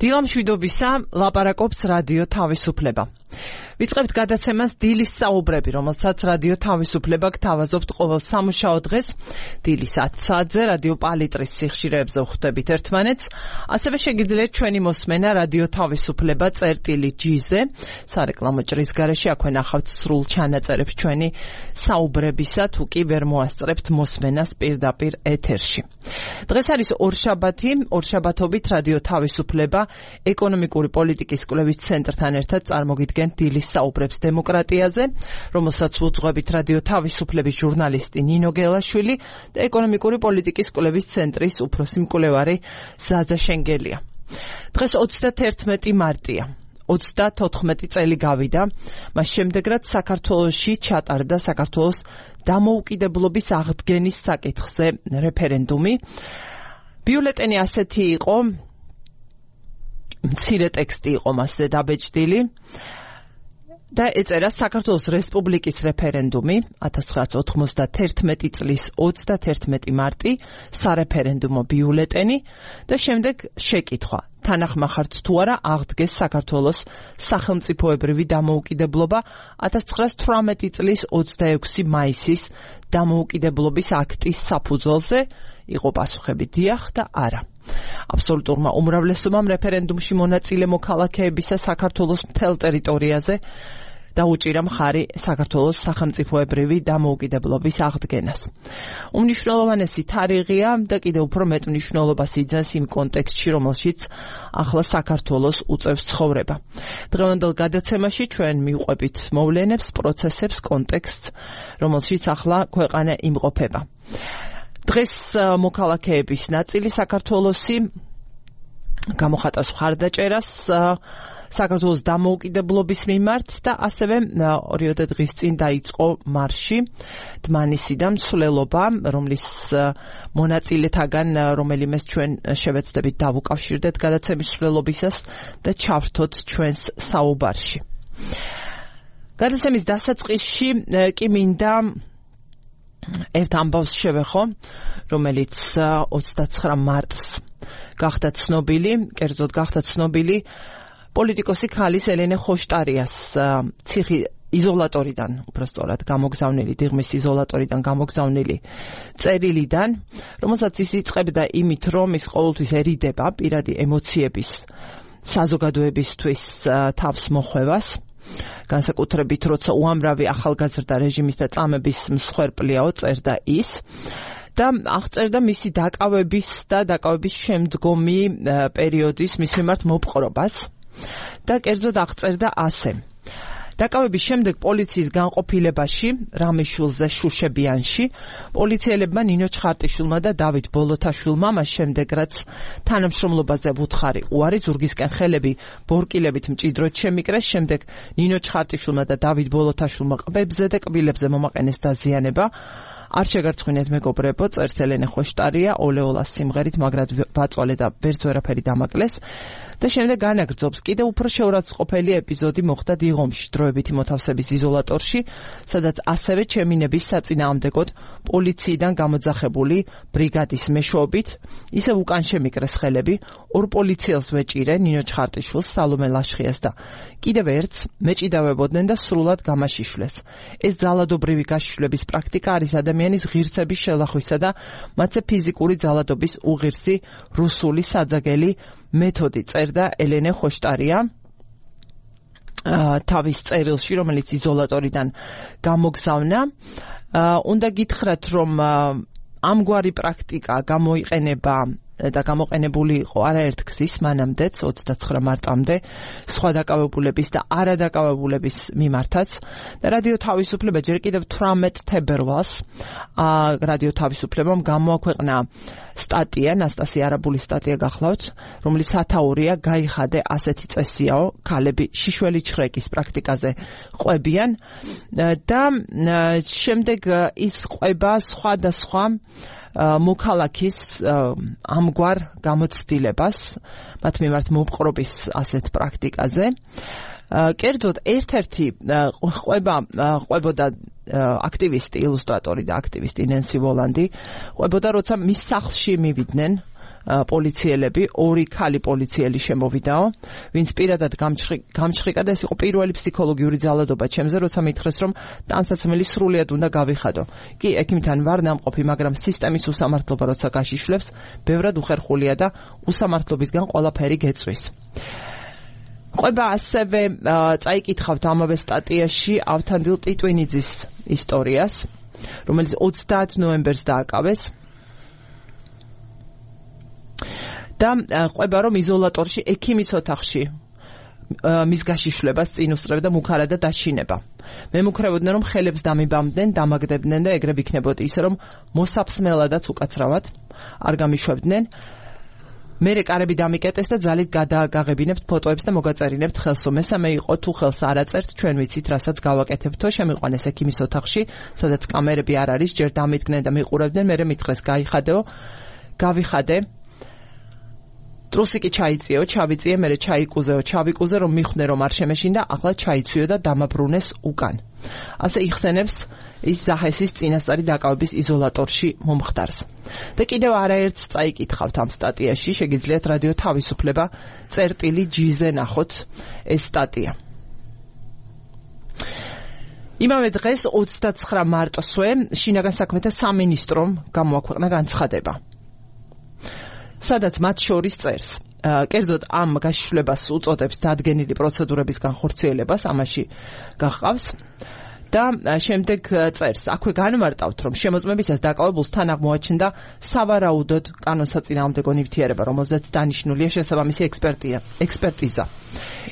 დილამშვიდობისა, ლაპარაკობს რადიო თავისუფლება. ვიწყებთ გადაცემას დილის საუბრები, რომელსაც რადიო თავისუფლება გთავაზობთ ყოველ სამუშაო დღეს დილის 10 საათზე რადიო პალიტრის სიხშირეებზე ვხვდებით ერთმანეთს. ასევე შეგიძლიათ ჩვენი მოსმენა რადიო თავისუფლება წერტილი.gz-ზე, სარეკლამო ჭრის გარეშე აქვე ნახავთ სრულ ჩანაწერებს ჩვენი საუბრებისა, თუ კი ვერ მოასწრებთ მოსმენას პირდაპირ ეთერში. დღეს არის ორშაბათობით რადიო თავისუფლება ეკონომიკური პოლიტიკის კვლევის ცენტრთან ერთად წარმოგიდგენთ დილის საუბრებს დემოკრატიაზე, რომელსაც უძღვებით რადიო თავისუფლების ჟურნალისტი ნინო გელაშვილი და ეკონომიკური პოლიტიკის კვლევის ცენტრის უფროსი მკვლევარი ზაზა შენგელია. დღეს 31 მარტია. 34 წელი გავიდა, მას შემდეგ რაც საქართველოში ჩატარდა საქართველოს დამოუკიდებლობის აღდგენის საკითხზე რეფერენდუმი. ბიულეტენი ასეთი იყო, მცირე ტექსტი იყო მასზე დაბეჭდილი და ეწერა საქართველოს რესპუბლიკის რეფერენდუმი 1991 წლის 31 მარტი, სარეფერენდუმო ბიულეტენი და შემდეგ შეკითხვა. თანახმახართ თუ არა აღდგეს საქართველოს სახელმწიფოებრივი დამოუკიდებლობა 1918 წლის 26 მაისის დამოუკიდებლობის აქტის საფუძველზე? იყო პასუხები დიახ და არა. აბსოლუტურმა უმრავლესობამ რეფერენდუმში მონაწილე მოქალაქეებისა საქართველოს მთელ ტერიტორიაზე დაუჭირა მხარი საქართველოს სახელმწიფოებრივი დამოუკიდებლობის აღდგენას. უმნიშვნელოვანესი თარიღია და კიდევ უფრო მეტ მნიშვნელობას იძენს იმ კონტექსტში, რომელშიც ახლა საქართველოს უწევს ცხოვრება. დღევანდელ გადაცემაში ჩვენ მივყვებით მოვლენებს, პროცესებს, კონტექსტს, რომელშიც ახლა ქვეყანა იმყოფება. დღეს მოქალაქეების ნაწილი საქართველოსი გამოხატავს მხარდაჭერას საქართველოს დამოუკიდებლობის მიმართ და ასევე 2 დღის წინ დაიწყო მარში დმანისიდან მსვლელობა, რომლის მონაწილეთაგან რომელიმეს ჩვენ შევეცდებით დავუკავშირდეთ გადაცემის მსვლელობისას და ჩავრთოთ ჩვენს საუბარში. გადაცემის დასაწყისში კი მინდა ერთ ამბავს შევეხო, რომელიც 29 მარტს გახდა ცნობილი, კერძოდ გახდა ცნობილი პოლიტიკოსი ქალის ელენე ხოშტარიას ციხი იზოლატორიდან, უბრალოდ გამოგზავნილი, დიღმის იზოლატორიდან გამოგზავნილი წერილიდან, რომელსაც ის იწყებდა იმით, რომ ის ყოველთვის ერიდება პირადი ემოციების საზოგადოებისთვის თავს მოხვევას, განსაკუთრებით როცა უამრავი ახალგაზრდა რეჟიმის და წამების მსხვერპლიაო წერდა ის და აღწერდა მისი დაკავების და დაკავების შემდგომი პერიოდის მის მიმართ მოპყრობას და კერძოდ აღწერდა ასე. დაკავების შემდეგ პოლიციის განყოფილებაში რამიშულზე შუშებიანში პოლიციელებმა ნინო ჩხარტიშვილმა და დავით ბოლოთაშვილმა მას შემდეგ რაც თანამშრომლობაზე ვუთხარი უარი ზურგისკენ ხელები ბორკილებით მჭიდროდ შემიკრეს, შემდეგ ნინო ჩხარტიშვილმა და დავით ბოლოთაშვილმა ყბებზე და კბილებზე მომაყენეს დაზიანება. არ შეგარცხვინეთ მეგობრებო, წერს ელენე ხოშტარია ოლეოლას სიმღერით, მაგრად ბაწვალე და ვერც ვერაფერი დამაკლეს და შემდეგ განაგრძობს. კიდევ უფრო შეურაცხყოფელი ეპიზოდი მოხდა დიღომში, დროებითი მოთავსების იზოლატორში, სადაც ასევე ჩემინების საწინააღმდეგოდ პოლიციიდან გამოძახებული ბრიგადის მეშვეობით ისევ უკან შემიკრეს ხელები, ორ პოლიციელს ვეჭირე, ნინო ჩხარტიშვილს, სალომე ლაშხიას და კიდევ ერთს მეჭიდავებოდნენ და სრულად გამაშიშვლეს. ეს ძალადობრივი გაშიშვლების პრაქტიკა არის ადამიანის ღირსების შელახვისა და მათზე ფიზიკური ძალადობის უღირსი რუსული საძაგელი მეთოდი, წერდა ელენე ხოშტარია თავის წერილში, რომელიც იზოლატორიდან გამოგზავნა. უნდა გითხრათ, რომ ამგვარი პრაქტიკა გამოიყენება და გამოყენებული იყო არაერთ გზის მანამდეც 29 მარტამდე სხვა დაკავებულების და არადაკავებულების მიმართაც და რადიო თავისუფლება ჯერ კიდევ 18 თებერვალს რადიო თავისუფლებამ გამოაქვეყნა სტატია, ნასტასია არაბულის სტატია გახლავთ, რომლის სათაურია გაიხადე ასეთი წესიაო, ქალები შიშველი ჩხრეკის პრაქტიკაზე ყვებიან და შემდეგ ის ყვება სხვადასხვა მოქალაქის ამგვარ გამოცდილებას მათ მიმართ მოპყრობის ასეთ პრაქტიკაზე. კერძოდ ერთ-ერთი ყვებოდა აქტივისტი, ილუსტრატორი და აქტივისტი ნენსი ვოლანდი, ყვებოდა როცა მის სახლში მივიდნენ პოლიციელები, 2 ქალი პოლიციელი შემოვიდაო, ვინც პირადად გამჩხრიკა და ეს იყო პირველი ფსიქოლოგიური ძალადობა ჩემზე, როცა მითხრეს, რომ ტანსაცმელი სრულიად უნდა გავიხადო. კი, ექიმთან ვარ ნამყოფი, მაგრამ სისტემის უსამართლობა როცა გაშიშვლებს, ბევრად უხერხულია და უსამართლობისგან ყველაფერი გეწვის. ყვება ასევე წაიკითხავთ ამავე სტატიაში ავთანდილ ტიტვინიძის ისტორიას, რომელიც 30 ნოემბერს დააკავეს. და ყვება რომ იზოლატორში ექიმის ოთახში მის გაშიშვლებას წინ უსწრებდა მუქარა და დაშინება. მემუქრებოდნენ რომ ხელებს დამიბამდნენ, დამაგდებდნენ და ეგრე იქნებოდა ისე რომ მოსაფსმელადაც უკაცრავად არ გამიშვებდნენ. მერე კარები დამიკეტეს და ძალით გადაგაღებინებთ ფოტოებს და მოგაწერინებთ ხელსო. მესამე იყო თუ ხელს არ აწერთ, ჩვენ ვიცით რასაც გავაკეთებთო, შემიყვანეს ექიმის ოთახში, სადაც კამერები არ არის, ჯერ დამიდგნენ და მიყურებდნენ, მერე მითხრეს გავიხადე. ტრუსიკი ჩაიწიო, ჩავიწიე, მერე ჩაიკუზეო, ჩავიკუზე, რომ მიხვნე რომ არ შემეშინდა, ახლა ჩაიცვიო და დამაბრუნეს უკან. ასე იხსენებს ის ზაჰესის წინასწარი დაკავების იზოლატორში მომხდარს. და კიდევ არაერთს წაიკითხავთ ამ სტატიაში, შეგიძლიათ რადიო თავისუფლება წერტილი.gz-ზე ნახოთ ეს სტატია. იმავე დღეს 29 მარტსვე შინაგან საქმეთა სამინისტრომ გამოაქვეყნა განცხადება, სადაც მათ შორის წერს, კერძოდ ამ გაშიშვლებას უწოდებს დადგენილი პროცედურების განხორციელებას, ამაში გახყავს და შემდეგ წერს, აქვე განმარტავთ, რომ შემოწმებისას დაკავებულს თან აღმოაჩნდა სავარაუდოდ კანონსაწინააღმდეგო ნივთიერება, რომელზეც დანიშნულია შესაბამისი ექსპერტიზა.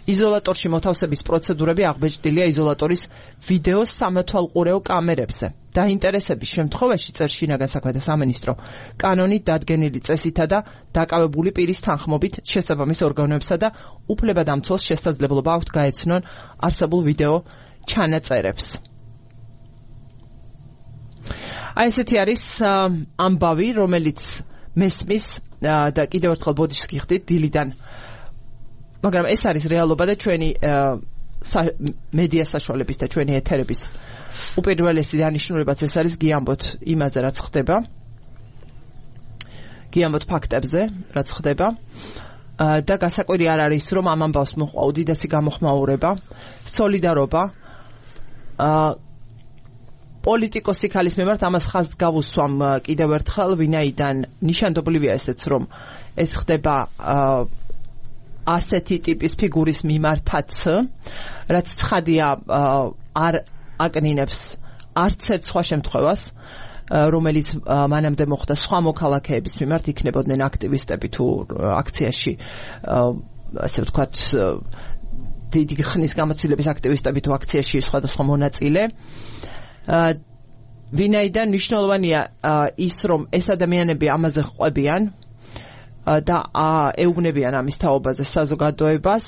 იზოლატორში მოთავსების პროცედურები აღბეჭდილია იზოლატორის ვიდეოს სამეთვალყურეო კამერებზე. დაინტერესების შემთხვევაში წერს შინაგან საქმეთა სამინისტრო, კანონით დადგენილი წესითა და დაკავებული პირის თანხმობით შესაბამის ორგანოებსა და უფლებადამცველს შესაძლებლობა აქვთ გაეცნონ არსებულ ვიდეო ჩანაწერებს. აი ესეთი არის ამბავი, რომელიც მესმის და კიდევ ერთხელ ბოდიშს გიხდით დილიდან, მაგრამ ეს არის რეალობა და ჩვენი მედია საშუალების და ჩვენი ეთერების უპირველესი დანიშნულებაც ეს არის გიამბოთ იმაზე, რაც ხდება, გიამბოთ ფაქტებზე, რაც ხდება და გასაკვირი არ არის, რომ ამ ამბავს მოჰყვა უდიდესი გამოხმაურება, სოლიდარობა პოლიტიკოსი ქალის მიმართ. ამას ხაზს გავუსვამ კიდევ ერთხელ, ვინაიდან ნიშანდობლივია ესეც, რომ ეს ხდება ასეთი ტიპის ფიგურის მიმართაც, რაც ცხადია არ აკნინებს არც ერთ სხვა შემთხვევას, რომელიც მანამდე მოხდა სხვა მოქალაქეების მიმართ, იქნებოდნენ აქტივისტები თუ აქციაში, ასე ვთქვათ, დიდი ხნის გამოცდილების აქტივისტები თუ აქციაში სხვადასხვა მონაწილე. ვინაიდან მნიშვნელოვანია ის, რომ ეს ადამიანები ამაზე ყვებიან და ეუბნებიან ამის თაობაზე საზოგადოებას,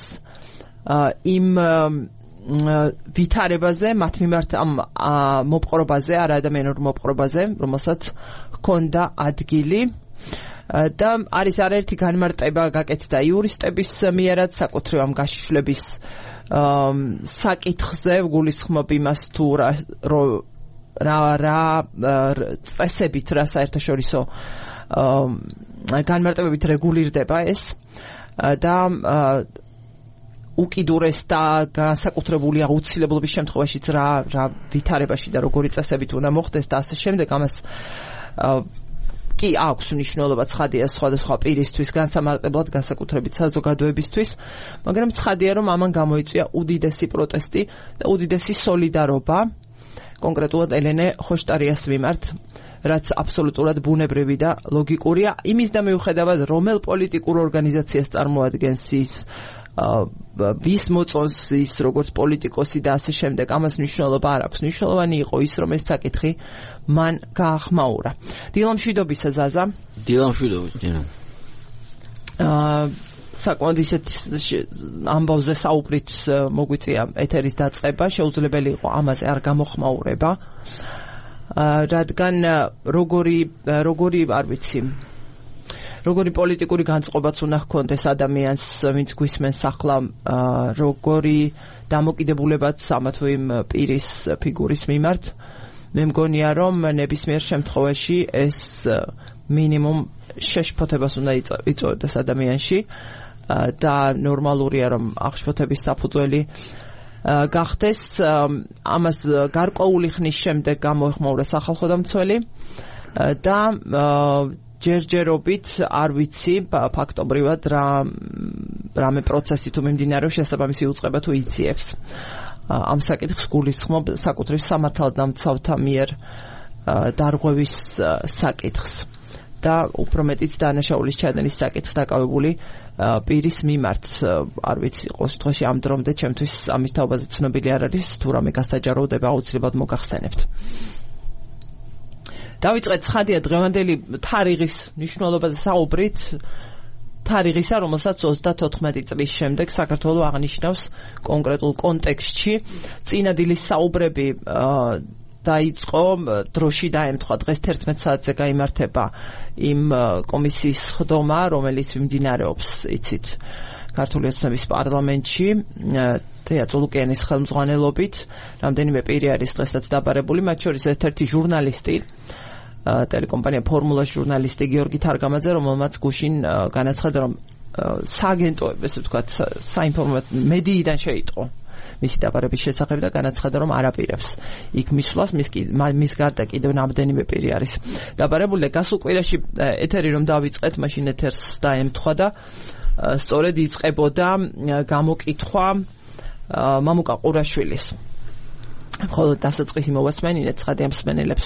იმ ვითარებაზე, მათ მიმართ ამ მოპყრობაზე, არაადამიანურ მოპყრობაზე, რომელსაც ჰქონდა ადგილი. და არის არაერთი განმარტება გაკეთდა იურისტების მიერაც საკუთრივ ამ გაშიშვლების საკითხზე, ვგულისხმობ იმას თუ რა წესებით, რა საერთაშორისო განმარტებებით რეგულირდება ეს და უკიდურეს და განსაკუთრებული აუცილებლობის შემთხვევაშიც რა ვითარებაში და როგორი წესებით უნდა მოხდეს და ასე შემდეგ. ამას კი აქვს მნიშვნელობა, ცხადია სხვადასხვა პირისთვის, განსამარტებლად განსაკუთრებით საზოგადოებისთვის, მაგრამ ცხადია, რომ ამან გამოიწვია უდიდესი პროტესტი და უდიდესი სოლიდარობა კონკრეტულად ელენე ხოშტარიას მიმართ, რაც აბსოლუტურად ბუნებრივი და ლოგიკურია, იმის და მიუხედავად, რომელ პოლიტიკურ ორგანიზაციას წარმოადგენს ის, ვის მოწონს ის როგორც პოლიტიკოსი და ასე შემდეგ, ამას მნიშვნელობა არ აქვს. მნიშვნელოვანი იყო ის, რომ ეს საკითხი მან გაახმაურა. დილამშვიდობისა ზაზა. დილამშვიდობისა. საკმაოდ ისეთ ამბავზე საუბრით მოგვიწია ეთერის დაწყება, შეუძლებელი იყო ამაზე არ გამოხმაურება, რადგან როგორი არ ვიცი, როგორი პოლიტიკური განწყობაც უნდა ჰქონდეს ადამიანს, ვინც გვისმენს ახლა, როგორი დამოკიდებულებაც ამა თუ იმ პირის ფიგურის მიმართ. მე მგონია, რომ ნებისმიერ შემთხვევაში ეს მინიმუმ შეშფოთებას უნდა იწვევდეს ადამიანში და ნორმალურია რომ აღშფოთების საფუძველი გახდეს ამას გარკვეული ხნის შემდეგ გამოეხმაურა სახალხო დამცველი და ჯერჯერობით არ ვიცი ფაქტობრივად რამე პროცესი თუ მიმდინარეობს შესაბამისი უწყება თუ იძიებს ამ საკითხს გულისხმობ საკუთრივ სამართალდამცავთა მიერ დარღვევის საკითხს და უფრო მეტიც დანაშაულის ჩადენის საკითხს დაკავებული პირის მიმართ არ ვიცი ყოველ შემთხვევაში ამ დრომდე ჩემთვის ამის თაობაზე ცნობილი არ არის თუ რამე გასაჯაროდება აუცილებლად მოგახსენებთ დავიწყეთ ცხადია დღევანდელი თარიღის მნიშვნელობაზე საუბრით თარიღისა რომელსაც 34 წლის შემდეგ საქართველოს აღნიშნავს კონკრეტულ კონტექსტში წინა დილის საუბრები დაიწყო დროში დაემთხვა დღეს 11 საათზე გაიმართება იმ კომისიის ხდომა რომელიც მიმდინარეობს იცით ქართული ოცნების პარლამენტში თეა წულუკიანის ხელმძღვანელობით რამდენიმე პირი არის დღესაც დაბარებული მათ შორის ერთ-ერთი ჟურნალისტი ტელეკომპანია ფორმულას ჟურნალისტი გიორგი თარგამაძე რომელმაც გუშინ განაცხადა რომ სააგენტოები ესე ვთქვათ საინფორმაციო მედიიდან შეიტყო მისი დაბარების შესახებ და განაცხადა რომ არაპირებს იქ მისვლას მის გარდა კიდევ რამდენიმე პირი არის დაბარებული და გასულ კვირაში ეთერი რომ დავიწყეთ მაშინ ეთერს დაემთხვა და სწორედ იწყებოდა გამოკითხვა მამუკა ყურაშვილის ხოლო დასაწყისი მოვასმენინეთ ცხადია მსმენელებს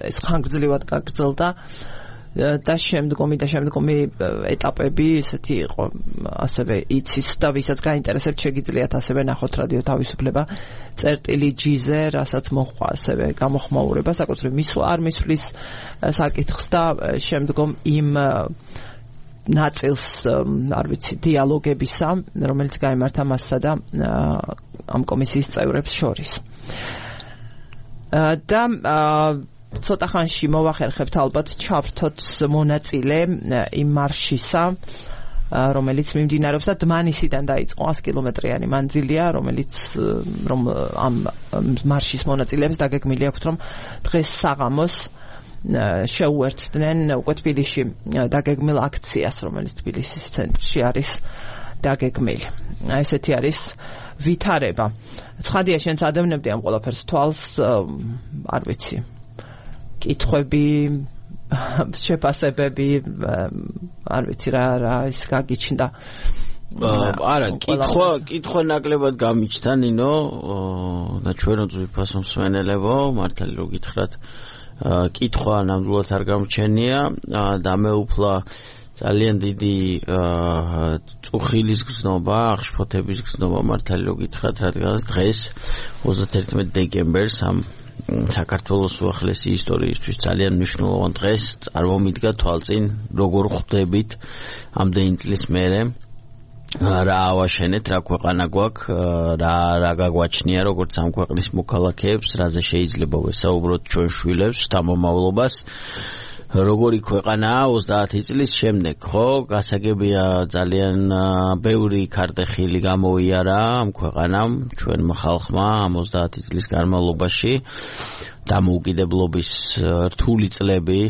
ეს ხანგრძლივად გაგრძელდა და შემდგომი ეტაპები ისეთი იყო ასევე იცის და ვისაც გაინტერესებთ შეგიძლიათ ასევე ნახოთ რადიო თავისუფლება წერტილი G-ზე რასაც მოხვა ასევე გამოხმაურება საკუთრივ მისვლა არ მისვლის საკითხს და შემდგომ იმ ნაწილს არ ვიცი დიალოგებისა რომელიც გაიმართა მასსა და ამ კომისიის წევრებს შორის და ცოტა ხანში მოვახერხებთ ალბათ ჩავრთოთ მონაწილე იმ მარშისა რომელიც მიმდინარეობს და დმანისიდან დაიწყო 100 კილომეტრიანი მანძილია რომელიც რომ ამ მარშის მონაწილეებს დაგეგმილი აქვთ რომ დღეს საღამოს შეუერთდნენ უკვე თბილისში დაგეგმილ აქციას რომელიც თბილისის ცენტრში არის დაგეგმილი ესეთი არის ვითარება ცხადია შენც ადევნებდი ამ ყველაფერს თვალს არ ვიცი კითხვები შეფასებები არ ვიცი რა ის გაგიჩნდა არა კითხვა ნაკლებად გამიჩნდა ნინო და ჩვენ უძვირფას მსმენელებო მართალი რო გითხრათ კითხვა ნამდვილად არ გამჩენია და მე უფლა ძალიან დიდი წუხილის გზნობა აღშფოთების გზნობა მართალი რო გითხრათ რადგანაც დღეს 31 დეკემბერს ამ საქართველოს უახლესი ისტორიისთვის ძალიან მნიშვნელოვან დღეს წარმომიდგა თვალწინ როგორ ხვდებით ამდენი წლის მერე რა ავაშენეთ რა ქვეყანა გვაქვს რა გაგვაჩნია როგორც ამ ქვეყნის მოქალაქეებს რაზე შეიძლება ვესაუბროთ ჩვენ შვილებს თამამავლობას როგორი ქვეყანაა 30 წლის შემდეგ ხო გასაგებია ძალიან ბევრი ქარტეხილი გამოიარა ამ ქვეყანამ ჩვენმა ხალხმა ამ 30 წლის განმავლობაში დამოუკიდებლობის რთული წლები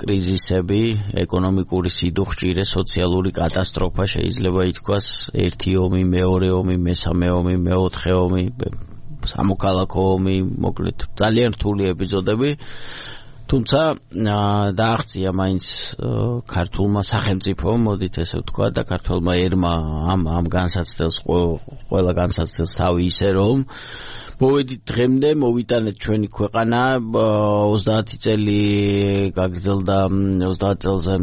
კრიზისები ეკონომიკური სიდუხჭირე სოციალური კატასტროფა შეიძლება ითქვას ერთი ომი მეორე ომი მესამე ომი მეოთხე ომი სამოქალაქო ომი მოკლედ ძალიან რთული ეპიზოდები თუმცა დააღწია მაინც ქართულმა სახელმწიფომ მოდით ესე ვთქვა და ქართულმა ერმა ამ განსაცდელს ყველა განსაცდელს თავი ისე რომ მოვედით დღემდე მოვიტანეთ ჩვენი ქვეყანა 30 წელი გაგრძელდა 30 წელზე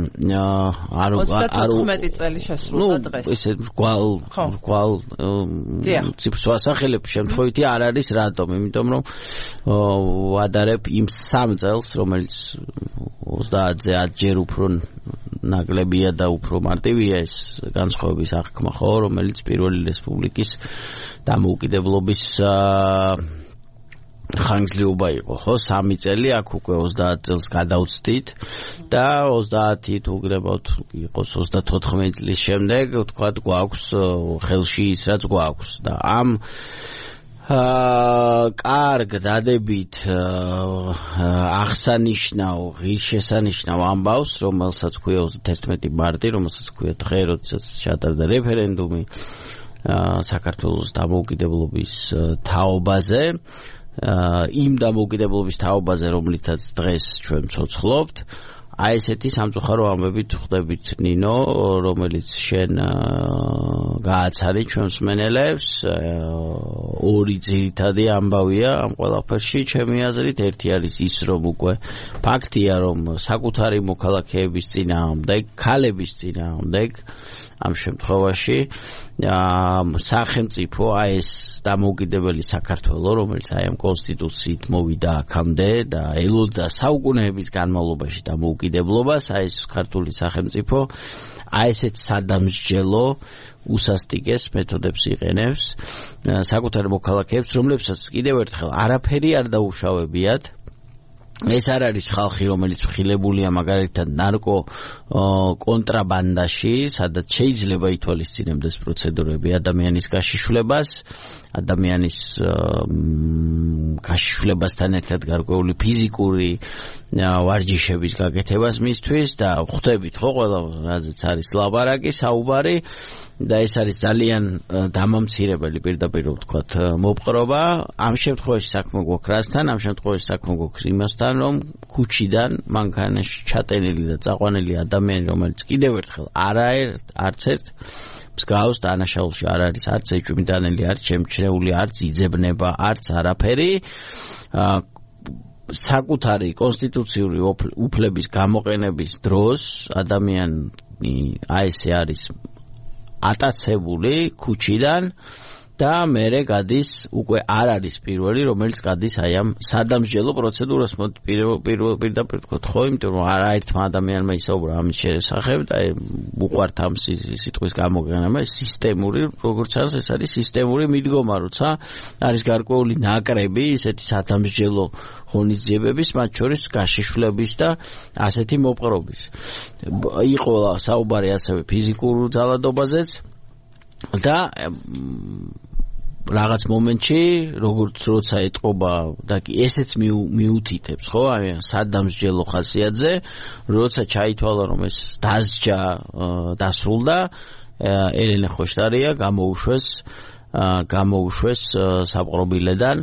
არ 34 წელი შესრულდა დღეს ესე მრგვალ ციფრს ვასახელებ შემთხვევითი არ არის რატომ იმიტომ რომ ვადარებ იმ 3 წელს რომელიც 30-ზე 10 ჯერ უფრო ნაკლებია და უფრო მარტივია ეს განსხვავების აღქმა ხო რომელიც პირველი რესპუბლიკის დამოუკიდებლობის ხანგრძლივობა იყო ხო 3 წელი აქ უკვე 30 წელს გადავწდით და 30 თუ გრებავთ იყოს 34 წლის შემდეგ ვთქვათ გვაქვს ხელში ის რაც გვაქვს და ამ კარგ დადებით აღსანიშნავ ღირსშესანიშნავ ამბავს, რომელსაც ქვია 31 მარტი, რომელსაც ქვია დღე, როდესაც ჩატარდა რეფერენდუმი საქართველოს დამოუკიდებლობის თაობაზე, იმ დამოუკიდებლობის თაობაზე, რომლითაც დღეს ჩვენ ცოცხლობთ. აი ესეთი სამწუხარო ამბებით ხვდებით ნინო, რომელიც შენ გააცარი ჩვენს მსმენელებს. ორი ძირითადი ამბავია ამ ყველაფერში ჩემი აზრით. ერთი არის ის, რომ უკვე ფაქტია, რომ საკუთარი მოქალაქეების წინააღმდეგ, ქალების წინააღმდეგ ამ შემთხვევაში სახელმწიფო აი ეს დამოუკიდებელი საქართველო, რომელიც აი ამ კონსტიტუციით მოვიდა აქამდე და ელოდა საუკუნეების განმავლობაში დამოუკიდებლობას, აი ეს ქართული სახელმწიფო აი ესეთ სადამსჯელო უსასტიკეს მეთოდებს იყენებს საკუთარ მოქალაქეებს, რომლებსაც კიდევ ერთხელ არაფერი არ დაუშავებიათ. ეს არ არის ხალხი, რომელიც ხილებულია მაგალითად ნარკო კონტრაბანდაში, სადაც შეიძლება ითვალისწინებდეს პროცედურები ადამიანის გაშიშვლებას, ადამიანის გაშიშვლებასთან ერთად გარკვეული ფიზიკური ვარჯიშების გაკეთებას მისთვის და ხვდებით ხო ყველა რაზეც არის ლაბარაკი, საუბარი და ეს არის ძალიან დამამცირებელი პირდაპირ ვთქვათ მოპყრობა. ამ შემთხვევაში საქმე გვაქვს რასთან? ამ შემთხვევაში საქმე გვაქვს იმასთან, რომ ქუჩიდან მანქანაში ჩატენილი და წაყვანილი ადამიანი, რომელიც კიდევ ერთხელ არც ერთ მსგავს დანაშაულში არ არის, არც ეჭვმიტანელი, არც შემჩნეული, არც იძებნება, არც არაფერი. საკუთარი კონსტიტუციური უფლების გამოყენების დროს ადამიანი აი ესე არის ატაცებული ქუჩიდან და მერე გადის, უკვე არ არის პირველი, რომელიც გადის აი ამ სადამსჯელო პროცედურას. პირდაპირ ვთქვათ ხო, იმიტომ რომ არაერთმა ადამიანმა ისაუბრა ამის შესახებ და უყვართ ამ სიტყვის გამოყენება, სისტემური, როგორც არის, ეს არის სისტემური მიდგომა, როცა არის გარკვეული ნაკრები ისეთი სადამსჯელო ღონისძიებების, მათ შორის გაშიშვლების და ასეთი მოპყრობის. იყო საუბარი ასევე ფიზიკურ ძალადობაზეც და რაღაც მომენტში, როგორც როცა ეტყობა და ესეც მიუთითებს, ხო, აი სადამსჯელო ხასიათზე, როცა ჩაითვალა, რომ ეს დასჯა დასრულდა, ელენე ხოშტარია გამოუშვეს საპყრობილედან.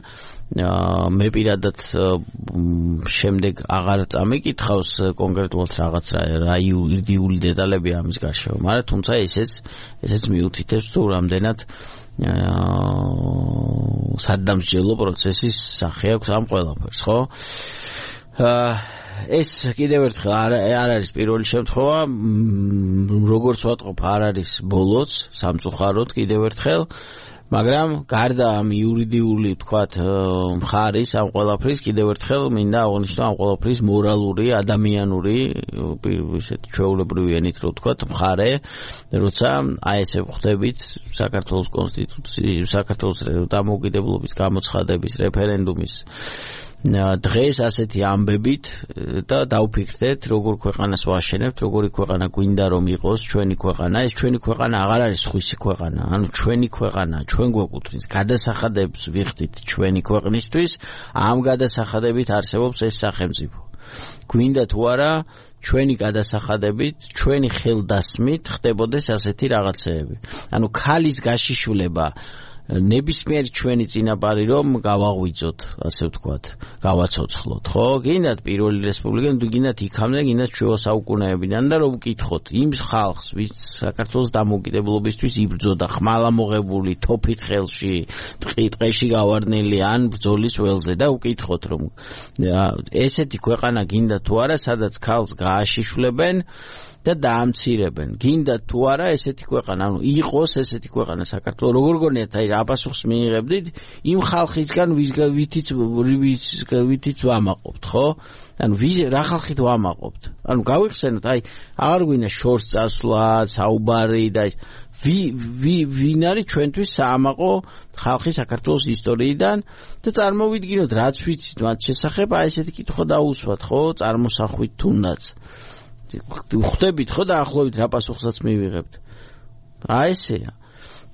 მე პირადად შემდეგ აღარ წამიკითხავს კონკრეტულად რაღაც რაიული დეტალები ამის გარშემო, მაგრამ თუმცა ესეც მიუთითებს თუ რამდენად სადამსჯელო პროცესის სახე აქვს ამ ყველაფერს, ხო? ეს კიდევ ერთხელ არ არის პირველი შემთხვევა, როგორც ვატყობ, არ არის ბოლოც, სამწუხაროდ კიდევ ერთხელ. მაგრამ გარდა ამ იურიდიული ვთქვათ მხარის ამ ყველაფრის კიდევ ერთხელ მინდა აღნიშნო ამ ყველაფრის მორალური, ადამიანური, ისეთი ჩვეულებრივი ენით რო ვთქვათ მხარე, როცა აი ესე ხვდებით საქართველოს კონსტიტუციის, საქართველოს დამოუკიდებლობის გამოცხადების რეფერენდუმის დღეს ასეთი ამბებით და დავფიქრდეთ, როგორ ქვეყანას ვაშენებთ, როგორი ქვეყანა გვინდა რომ იყოს ჩვენი ქვეყანა. ეს ჩვენი ქვეყანა აღარ არის სხვისი ქვეყანა, ანუ ჩვენი ქვეყანა, ჩვენ გვეკუთვნის, გადასახადებს ვიხდით ჩვენი ქვეყნისთვის, ამ გადასახადებით არსებობს ეს სახელმწიფო. გვინდა თუ არა ჩვენი გადასახადებით, ჩვენი ხელდასმით ხდებოდეს ასეთი რაღაცეები. ანუ ქალის გაშიშვლება ნებისმიერი ჩვენი წინაპარი რომ გავაღვიძოთ, ასე ვთქვათ, გავაცოცხლოთ, ხო? გინდათ პირველი რესპუბლიკა, გინდათ იქამდე, გინდათ შუა საუკუნეებიდან და რომ ვკითხოთ იმ ხალხს, ვინც საქართველოს დამოუკიდებლობისთვის იბრძოდა, ხმალამოღებული, თოფით ხელში, ტყეში გავარდნილი ან ბრძოლის ველზე და ვკითხოთ რომ ესეთი ქვეყანა გინდა თუ არა, სადაც ქალს გააშიშვლებენ და დაამცირებენ. გინდა თუ არა ესეთი ქვეყანა, ანუ იყოს ესეთი ქვეყანა საქართველო, როგორ გონიათ, აი რა პასუხს მიიღებდით იმ ხალხისგან, ვითიც ვამაყობთ, ხო? ანუ რა ხალხით ვამაყობთ? ანუ გავიხსენოთ, აი აღარ გვინდა შორს წასვლა, საუბარი და ვინ არის ჩვენთვის საამაყო ხალხი საქართველოს ისტორიიდან და წარმოვიდგინოთ, რაც ვიცით მათ შესახებ, აი ესეთი კითხვა დაუსვათ, ხო? წარმოსახვით თუნდაც. ხვდებით ხო დაახლოებით რა პასუხსაც მივიღებთ. აი ესეა.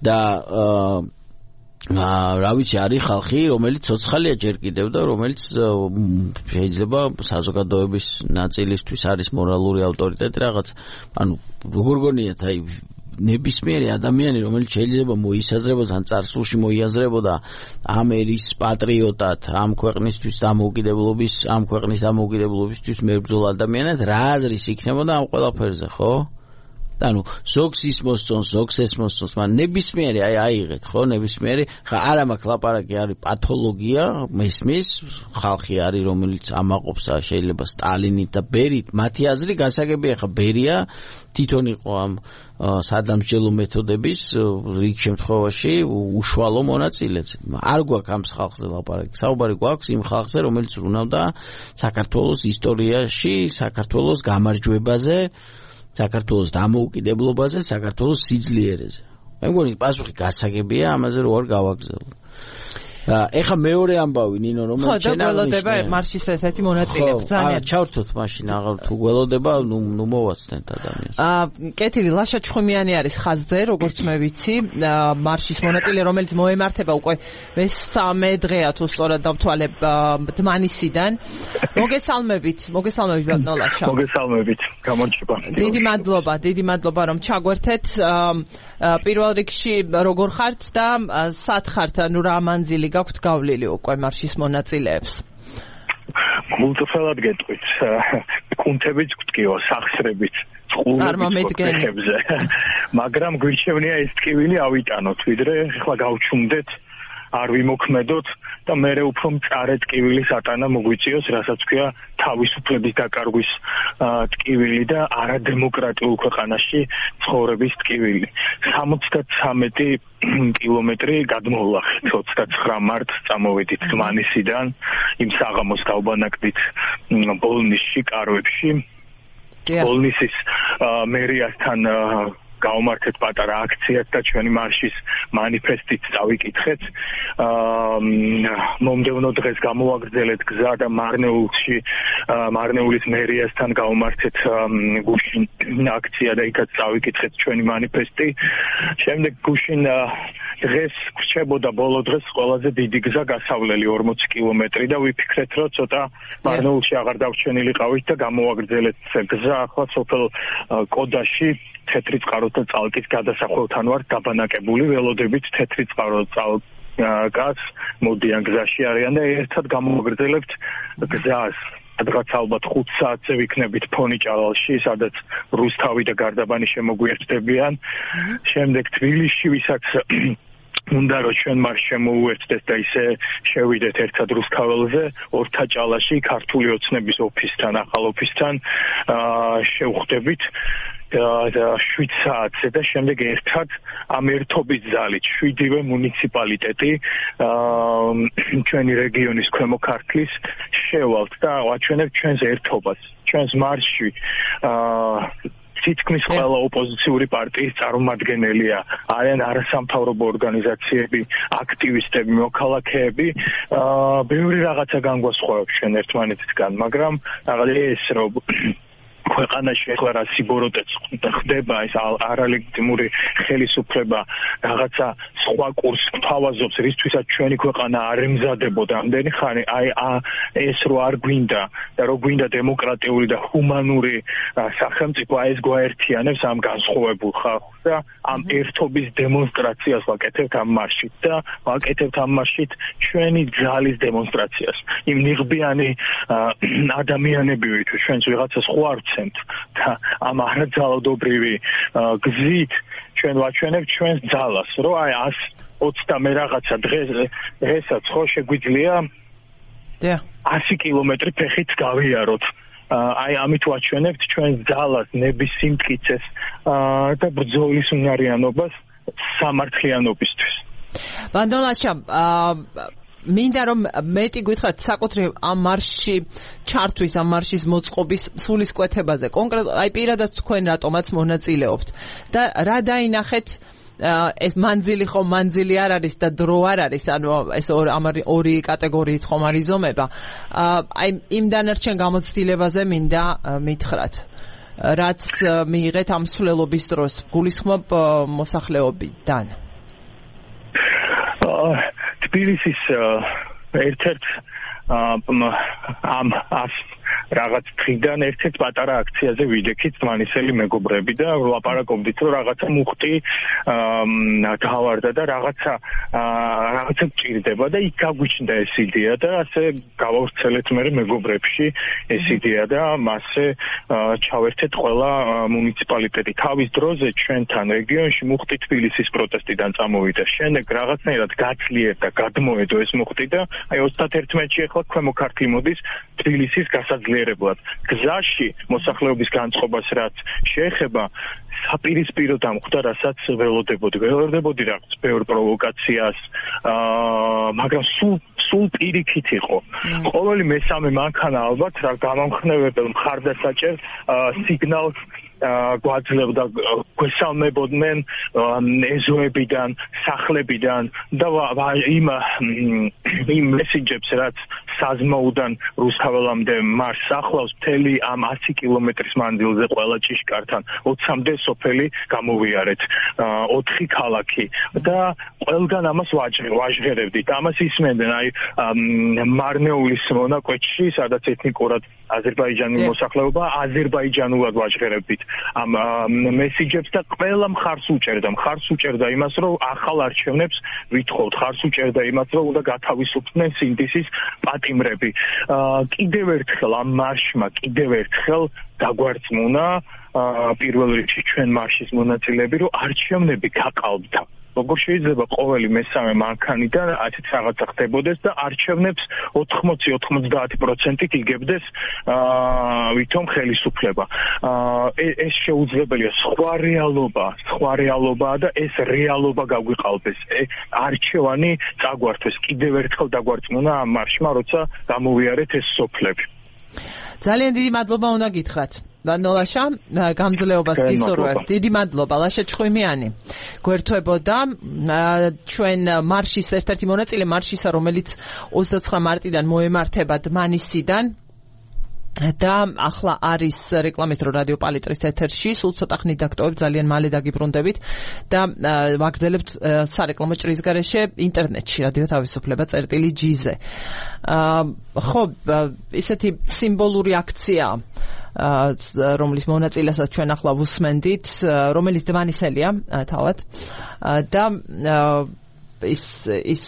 და რა ვიცი, არის ხალხი, რომელიც ცოცხალია ჯერ კიდევ და რომელიც შეიძლება საზოგადოების ნაწილისთვის არის მორალური ავტორიტეტი რაღაც. ანუ როგორ გონიათ, აი ნებისმიერი ადამიანი, რომელიც შეიძლება მოისაზრებოდა ან წარსულში მოიაზრებოდა ამ ერის პატრიოტად, ამ ქვეყნის დამოუკიდებლობისთვის მებრძოლ ადამიანად, რა აზრის იქნებოდა ამ ყველაფერზე, ხო? ანუ ზოგს ის მოსწონს, ზოგს ეს მოსწონს, მაგრამ ნებისმიერი აიღეთ, ხო, ნებისმიერი, ხა არა მაქვს ლაპარაკი, არის პათოლოგია, მესმის, ხალხი არის, რომელიც ამაყობს შეიძლება სტალინით და ბერით, მათი აზრი გასაგებია, ხა ბერია თვითონ იყო ამ სადამსჯელო მეთოდების რიგ შემთხვევაში უშუალო მონაწილეც. არ გვაქვს ამ ხალხზე ლაპარაკი, საუბარი გვაქვს იმ ხალხზე, რომელიც ვრუნავდა საქართველოს ისტორიაში, საქართველოს გამარჯვებაზე, საქართველოს დამოუკიდებლობაზე, საქართველოს სიძლიერეზე. მე მგონი პასუხი გასაგებია, ამაზე რო არ გავაგზავნო. ეხა მეორე ამბავი ნინო, რომელიც შეიძლება გველოდება მარშის ესეთი მონაწილე ბრძანა. ჩავრთოთ მაშინ, აღარ თუ გველოდება, ნუ მოვაცდენთ ადამიანს. კეთილი ლაშა ჩხუმიანი არის ხაზზე, როგორც მე ვიცი, მარშის მონაწილე, რომელიც მოემართება უკვე მესამე დღეა თუ სწორად დავთვალებ დმანისიდან. მოგესალმებით ბატონო ლაშა. მოგესალმებით, გამარჯობა. დიდი მადლობა რომ ჩაგვერთეთ. პირველ რიგში როგორ ხართ და სად ხართ, ანუ რა მანძილი გაქვთ გავლილი უკვე მარშის მონაწილეებს? გულწრფელად გეტყვით, კუნთებით გვტკივა, სახსრებით, წყურებზე, მაგრამ გვირჩევნია ეს ტკივილი ავიტანოთ, ვიდრე ახლა გავჩუმდეთ, არ ვიმოქმედოთ და მე უფრო მწარე ტკივილის ატანა მოგვიწიოს, რასაც ქვია თავისუფლების დაკარგვის ტკივილი და არადემოკრატიულ ქვეყანაში ცხოვრების ტკივილი. 73 კილომეტრი გადმოვლახეთ, 29 მარტს წამოვედით დმანისიდან, იმ საღამოს დავბანაკდით ბოლნისში, კარვებში. ბოლნისის მერიასთან გავმართეთ პატარა აქციას და ჩვენი მარშის მანიფესტით წავიკითხეთ. მომდევნო დღეს გამოვაგრძელეთ გზა და მარნეულის მერიასთან გავმართეთ გუშინ აქცია და იქაც წავიკითხეთ ჩვენი მანიფესტი. შემდეგ გუშინ დღეს გრჩებოდა ბოლო დღეს ყველაზე დიდი გზა გასავლელი 40 კილომეტრი და ვიფიქრეთ, რომ ცოტა მარნეულში აღარ დავჩენილიყავით და გამოვაგრძელეთ გზა ახლა სოფელ კოდაში თეთრი წყაროთა წალკის გადასახველთან ვართ დაბანაკებული, ველოდებით თეთრი წყარო წალკას მოდიან გზაში არიან და ერთად გამოვაგრძელებთ გზას. სადღაც ალბათ 5 საათზე ვიქნებით ფონიჭალალში, სადაც რუსთავი და გარდაბანი შემოგვიერთდებიან. შემდეგ თბილისში, ვისაც უნდა რომ ჩვენ მას შემოუერთდეთ და ისე შევიდეთ ერთად რუსთაველზე, ორთაჭალაში ქართული ოცნების ოფისთან, ახალ ოფისთან შევხვდებით. 7 საათზე და შემდეგ ერთად ამ ერთობის ძალით 7-ვე მუნიციპალიტეტი ჩვენი რეგიონის ქვემო ქართლის შევალთ და ვაჩვენებთ ჩვენს ერთობას, ჩვენს მარშში. თითქმის ყველა ოპოზიციური პარტიის წარმომადგენელია, არიან არასამთავრობო ორგანიზაციები, აქტივისტები, მოქალაქეები. ბევრი რაღაცა განგვასხვავებს ჩვენ ერთმანეთისგან, მაგრამ ეს რომ ქვეყანაში ახლა რა სიბოროტეც ხდება, ეს არალეგიტიმური ხელისუფლება რაღაცა სხვა კურსს გვთავაზობს, რისთვისაც ჩვენი ქვეყანა არ ემზადებოდა ამდენი ხანი, ეს რო არ გვინდა და რო გვინდა დემოკრატიული და ჰუმანური სახელმწიფო, ეს გვაერთიანებს ამ განსხვავებულ ხალხს და ამ ერთობის დემონსტრაციას ვაკეთებთ ამ მარშით და ვაკეთებთ ამ მარშით ჩვენი ძალის დემონსტრაციას. იმ ნიღბიანი ადამიანები თუ ჩვენს ვიღაცას ხვარცენთ და ამ არაძალადობრივი გზით ჩვენ ვაჩვენებთ ჩვენს ძალას, რომ 120 რაღაცა დღესაც ხო შეგვიძლია 100 კილომეტრი ფეხით გავიაროთ. ამით ვაჩვენებთ ჩვენს ძალას, ნების სიმტკიცეს და ბრძოლის უნარიანობას სამართლიანობისთვის. ბანდოლაშა, მინდა რომ მეტი გითხრათ საკუთრივ ამ მარშში ჩართვის, ამ მარშის მოწყობის სულისკვეთებაზე. კონკრეტულად აი პირადად თქვენ რატომაც მონაწილეობთ და რა დაინახეთ ეს მანძილი არ არის და დრო არ არის, ანუ ეს ორი კატეგორიით ხომ არის ზომება. აი იმ დანარჩენ გამოცდილებაზე მინდა მითხრათ. რაც მიიღეთ ამ სვლელობის დროს, გულისხმობ მოსახლეობიდან. თბილისის ერთ-ერთ ამ რაღაც დღიდან ერთ-ერთ პატარა აქციაზე ვიდექით მანისელი მეგობრები და ვლაპარაკობდით რომ რაღაცა მუხტი გავარდა და რაღაცა გჭირდება და იქ გაგვიჩნდა ეს იდეა და ასე გავავრცელეთ მე მეგობრებში ეს იდეა და მასე ჩავერთეთ ყველა მუნიციპალიტეტი თავის დროზე ჩვენთან რეგიონში მუხტი თბილისის პროტესტიდან წამოვიდა შემდეგ რაღაცნაირად გაძლიერდა გადმოედო ეს მუხტი და აი 31-ში ახლა ქვემო ქართლი მოდის თბილისის გასაძლიერებლად გზაში მოსახლეობის განწყობას რაც შეეხება საპირისპირო დამხვდა რასაც ველოდებოდი რაღაც ბევრ პროვოკაციას მაგრამ სულ პირიქით იყო ყოველი მესამე მანქანა ალბათ რა გამამხნევებელ მხარდასაჭერ სიგნალს გვაძლევდა გვესალმებოდნენ ეზოებიდან სახლებიდან და იმ მესიჯებს რაც საზმოუდან რუსთაველამდე მარშს ახლავს მთელი ამ 100 კილომეტრის მანძილზე ყველა ჭიშკართან 20-მდე სოფელი გამოვიარეთ 4 ქალაქი და ყველგან ამას ვაჟღერებდით ამას ისმენდნენ აი მარნეულის მონაკვეთში სადაც ეთნიკურად აზერბაიჯანი მოსახლეობა აზერბაიჯანულად ვაჟღერებდით ამ მესიჯებს და ყველა მხარს უჭერდა იმას რომ ახალ არჩევნებს ვითხოვთ მხარს უჭერდა იმას რომ უნდა გათავისუფლდნენ სინდისის პატიმრები კიდევ ერთხელ ამ მარშმა დაგვარწმუნა პირველ რიგში ჩვენ მარშის მონაწილეები რომ არჩევნები გაყალბდა როგორ შეიძლება ყოველი მესამე მანქანიდან ასეთ რაღაცა ხდებოდეს და არჩევნებს 80-90%-ით იგებდეს ვითომ ხელისუფლება ეს შეუძლებელია სხვა რეალობაა და ეს რეალობა გაგვიყალბეს არჩევანი წაგვართვეს კიდევ ერთხელ დაგვარწმუნა ამ მარშმა როცა გამოვიარეთ ეს სოფლები ძალიან დიდი მადლობა უნდა გითხრათ ნოლაშა გამძლეობას გისურვებ დიდი მადლობა ლაშა ჩხვიმიანი გვერდთვებოდა ჩვენ მარშის ერთ-ერთი მონაწილე მარშისა რომელიც 29 მარტიდან მოემართება დმანისიდან და ახლა არის რეკლამის დრო რადიო პალიტრის ეთერში სულ ცოტა ხნით დაგტოვებ ძალიან მალე დაგიბრუნდებით და ვაგრძელებთ სარეკლამო ჭრის გარეშე ინტერნეტში რადიო თავისუფლება წერტილი.gz-ზე ხო ისეთი სიმბოლური აქცია რომლის მონაწილესაც ჩვენ ახლა ვუსმენდით რომელიც დმანისელია თავად და ის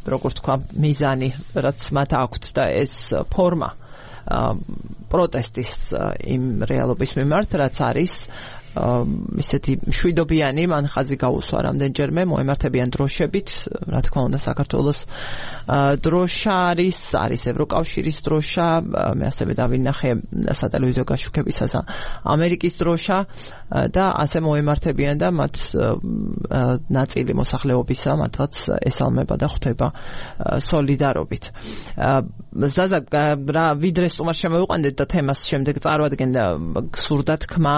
როგორ თქვა მიზანი რაც მათ აქვთ და ეს ფორმა პროტესტის იმ რეალობის მიმართ რაც არის ისეთი შვიდობიანი მან ხაზი გაუსვა რამდენჯერმე მოემართებიან დროშებით რა თქმა უნდა საქართველოს დროშა არის ევროკავშირის დროშა მე ასევე დავინახე სატელევიზიო გაშუქებისას ამერიკის დროშა და ასე მოემართებიან და მათ ნაწილი მოსახლეობისა მათაც ესალმება და ხვდება სოლიდარობით ზაზა რა ვიდრე სტუმარ შემოვიყვანდეთ და თემას შემდეგ წარვადგენ გსურდა თქმა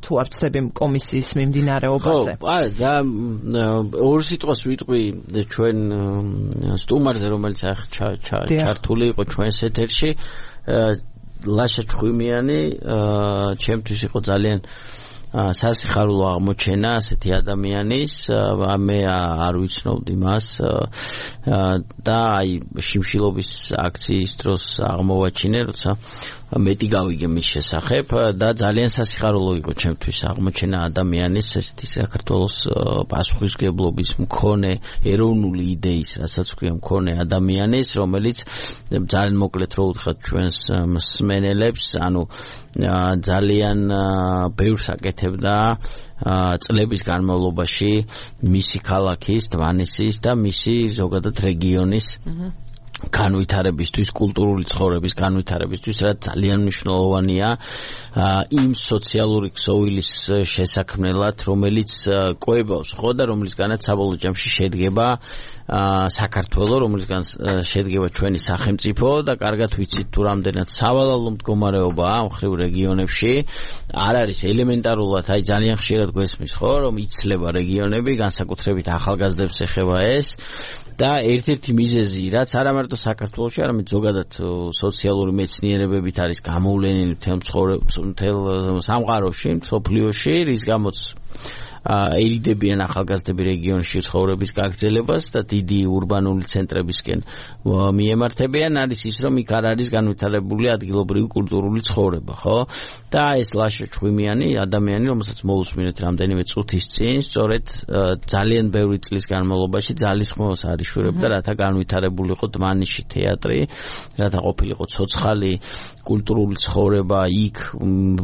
თუ არ ვწდები კომისიის მიმდინარეობაზე. და ორ სიტყვას ვიტყვი ჩვენ სტუმარზე რომელიც ჩართული იყო ჩვენს ეთერში ლაშა ჩხვიმიანი ჩემთვის იყო ძალიან სასიხარულო აღმოჩენა ასეთი ადამიანის მე არ ვიცნობდი მას და აი შიმშილობის აქციის დროს აღმოვაჩინე როცა მეტი გავიგე მის შესახებ და ძალიან სასიხარულო იყო ჩემთვის აღმოჩენა ადამიანის ესეთი საქართველოს პასუხისმგებლობის მქონე ეროვნული იდეის რასაც ქვია მქონე ადამიანის რომელიც ძალიან მოკლედ რო უთხრათ ჩვენს მსმენელებს ანუ ძალიან ბევრს აკეთებდა წლების განმავლობაში მისი ქალაქის დმანისის და მისი ზოგადად რეგიონის განვითარებისთვის, კულტურული ცხოვრების განვითარებისთვის, რაც ძალიან მნიშვნელოვანია იმ სოციალური ქსოვილის შესაქმნელად, რომელიც კვებავს ხო და რომლისგანაც საბოლოო ჯამში შედგება საქართველო, რომლისგან შედგება ჩვენი სახელმწიფო და კარგად ვიცით თუ რამდენად სავალალო მდგომარეობაა ამ ხრივ რეგიონებში. არ არის ელემენტარულად, აი ძალიან ხშირად გვესმის ხო, რომ იცლება რეგიონები, განსაკუთრებით ახალგაზრდებს ეხება ეს. და ერთ-ერთი მიზეზი, რაც არა მარტო საქართველოში, არამედ ზოგადად სოციალური მეცნიერებებით არის გამოვლენილი მთელ სამყაროში, მსოფლიოში, რის გამოც ერიდებიან ახალგაზრდები რეგიონში ცხოვრების გაგრძელებას და დიდი ურბანული ცენტრებისკენ მიემართებიან, არის ის, რომ იქ არ არის განვითარებული ადგილობრივი კულტურული ცხოვრება, ხო? და ეს ლაშა ჩხვიმიანი ადამიანი, რომელსაც მოусმინეთ რამდენიმე წუთის წინ, სწორედ ძალიან ბევრი წლის განმავლობაში ძალისხმევას არიშურებდა, რათა განვითარებულიყო დმანიში თეატრი, რათა ყოფილიყო ცოცხალი კულტურული ცხოვრება იქ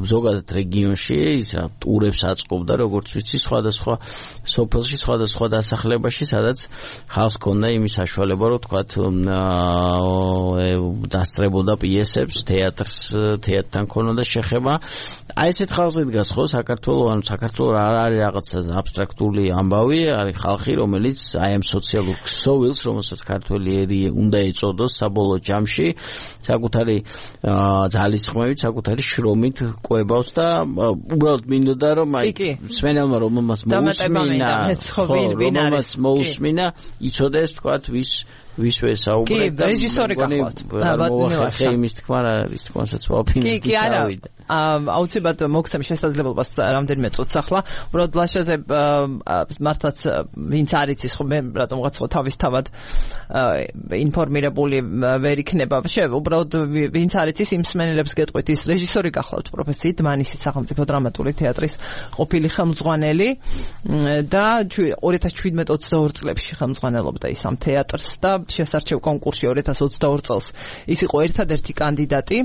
ზოგადად რეგიონში, ისა ტურებს აწყობდა, როგორც ვიცი, სხვადასხვა სოფელში, სხვადასხვა დასახლებაში, სადაც ხალხს ჰქონდა იმის საშუალება, რომ თქვათ დასწრებოდა პიესებს, თეატრთან ჰქონდა შეხება. აი ესეთ ხალხზე დგას ხო საქართველოს არ არის რაღაცა აბსტრაქტული ამბავი, არის ხალხი, რომელიც აი ამ სოციალურ ქსოვილს, რომელსაც ქართველი ერი უნდა ეწოდოს საბოლოო ჯამში, საკუთარი ძალისხმევით, საკუთარი შრომით ყვებავს და უბრალოდ მინდოდა რომ აი სვენელმა რომელმაც მოусმინა, იცოდეს თქვათ ვის ვესაუბრებ და რეჟისორი გახლავთ. მოახერხე იმის თქმა რა არის თქმასაც ვაფინდი. კი, არა. აუცილებლად მოგცემ შესაძლებლობას რამდენიმე წუთს ახლა. უბრალოდ ლაშაზე მართლაც ვინც არ იცის ხო მე რატომღაც ხო თავისთავად ინფორმირებული ვერ იქნება. უბრალოდ ვინც არ იცის იმ მსმენელებს გეტყვით ის რეჟისორი გახლავთ პროფესიით დმანისის სახელმწიფო დრამატული თეატრის ყოფილი ხელმძღვანელი და 2017-22 წლებში ხელმძღვანელობდა ის ამ თეატრს და შესარჩევ კონკურსში 2022 წელს ის იყო ერთადერთი კანდიდატი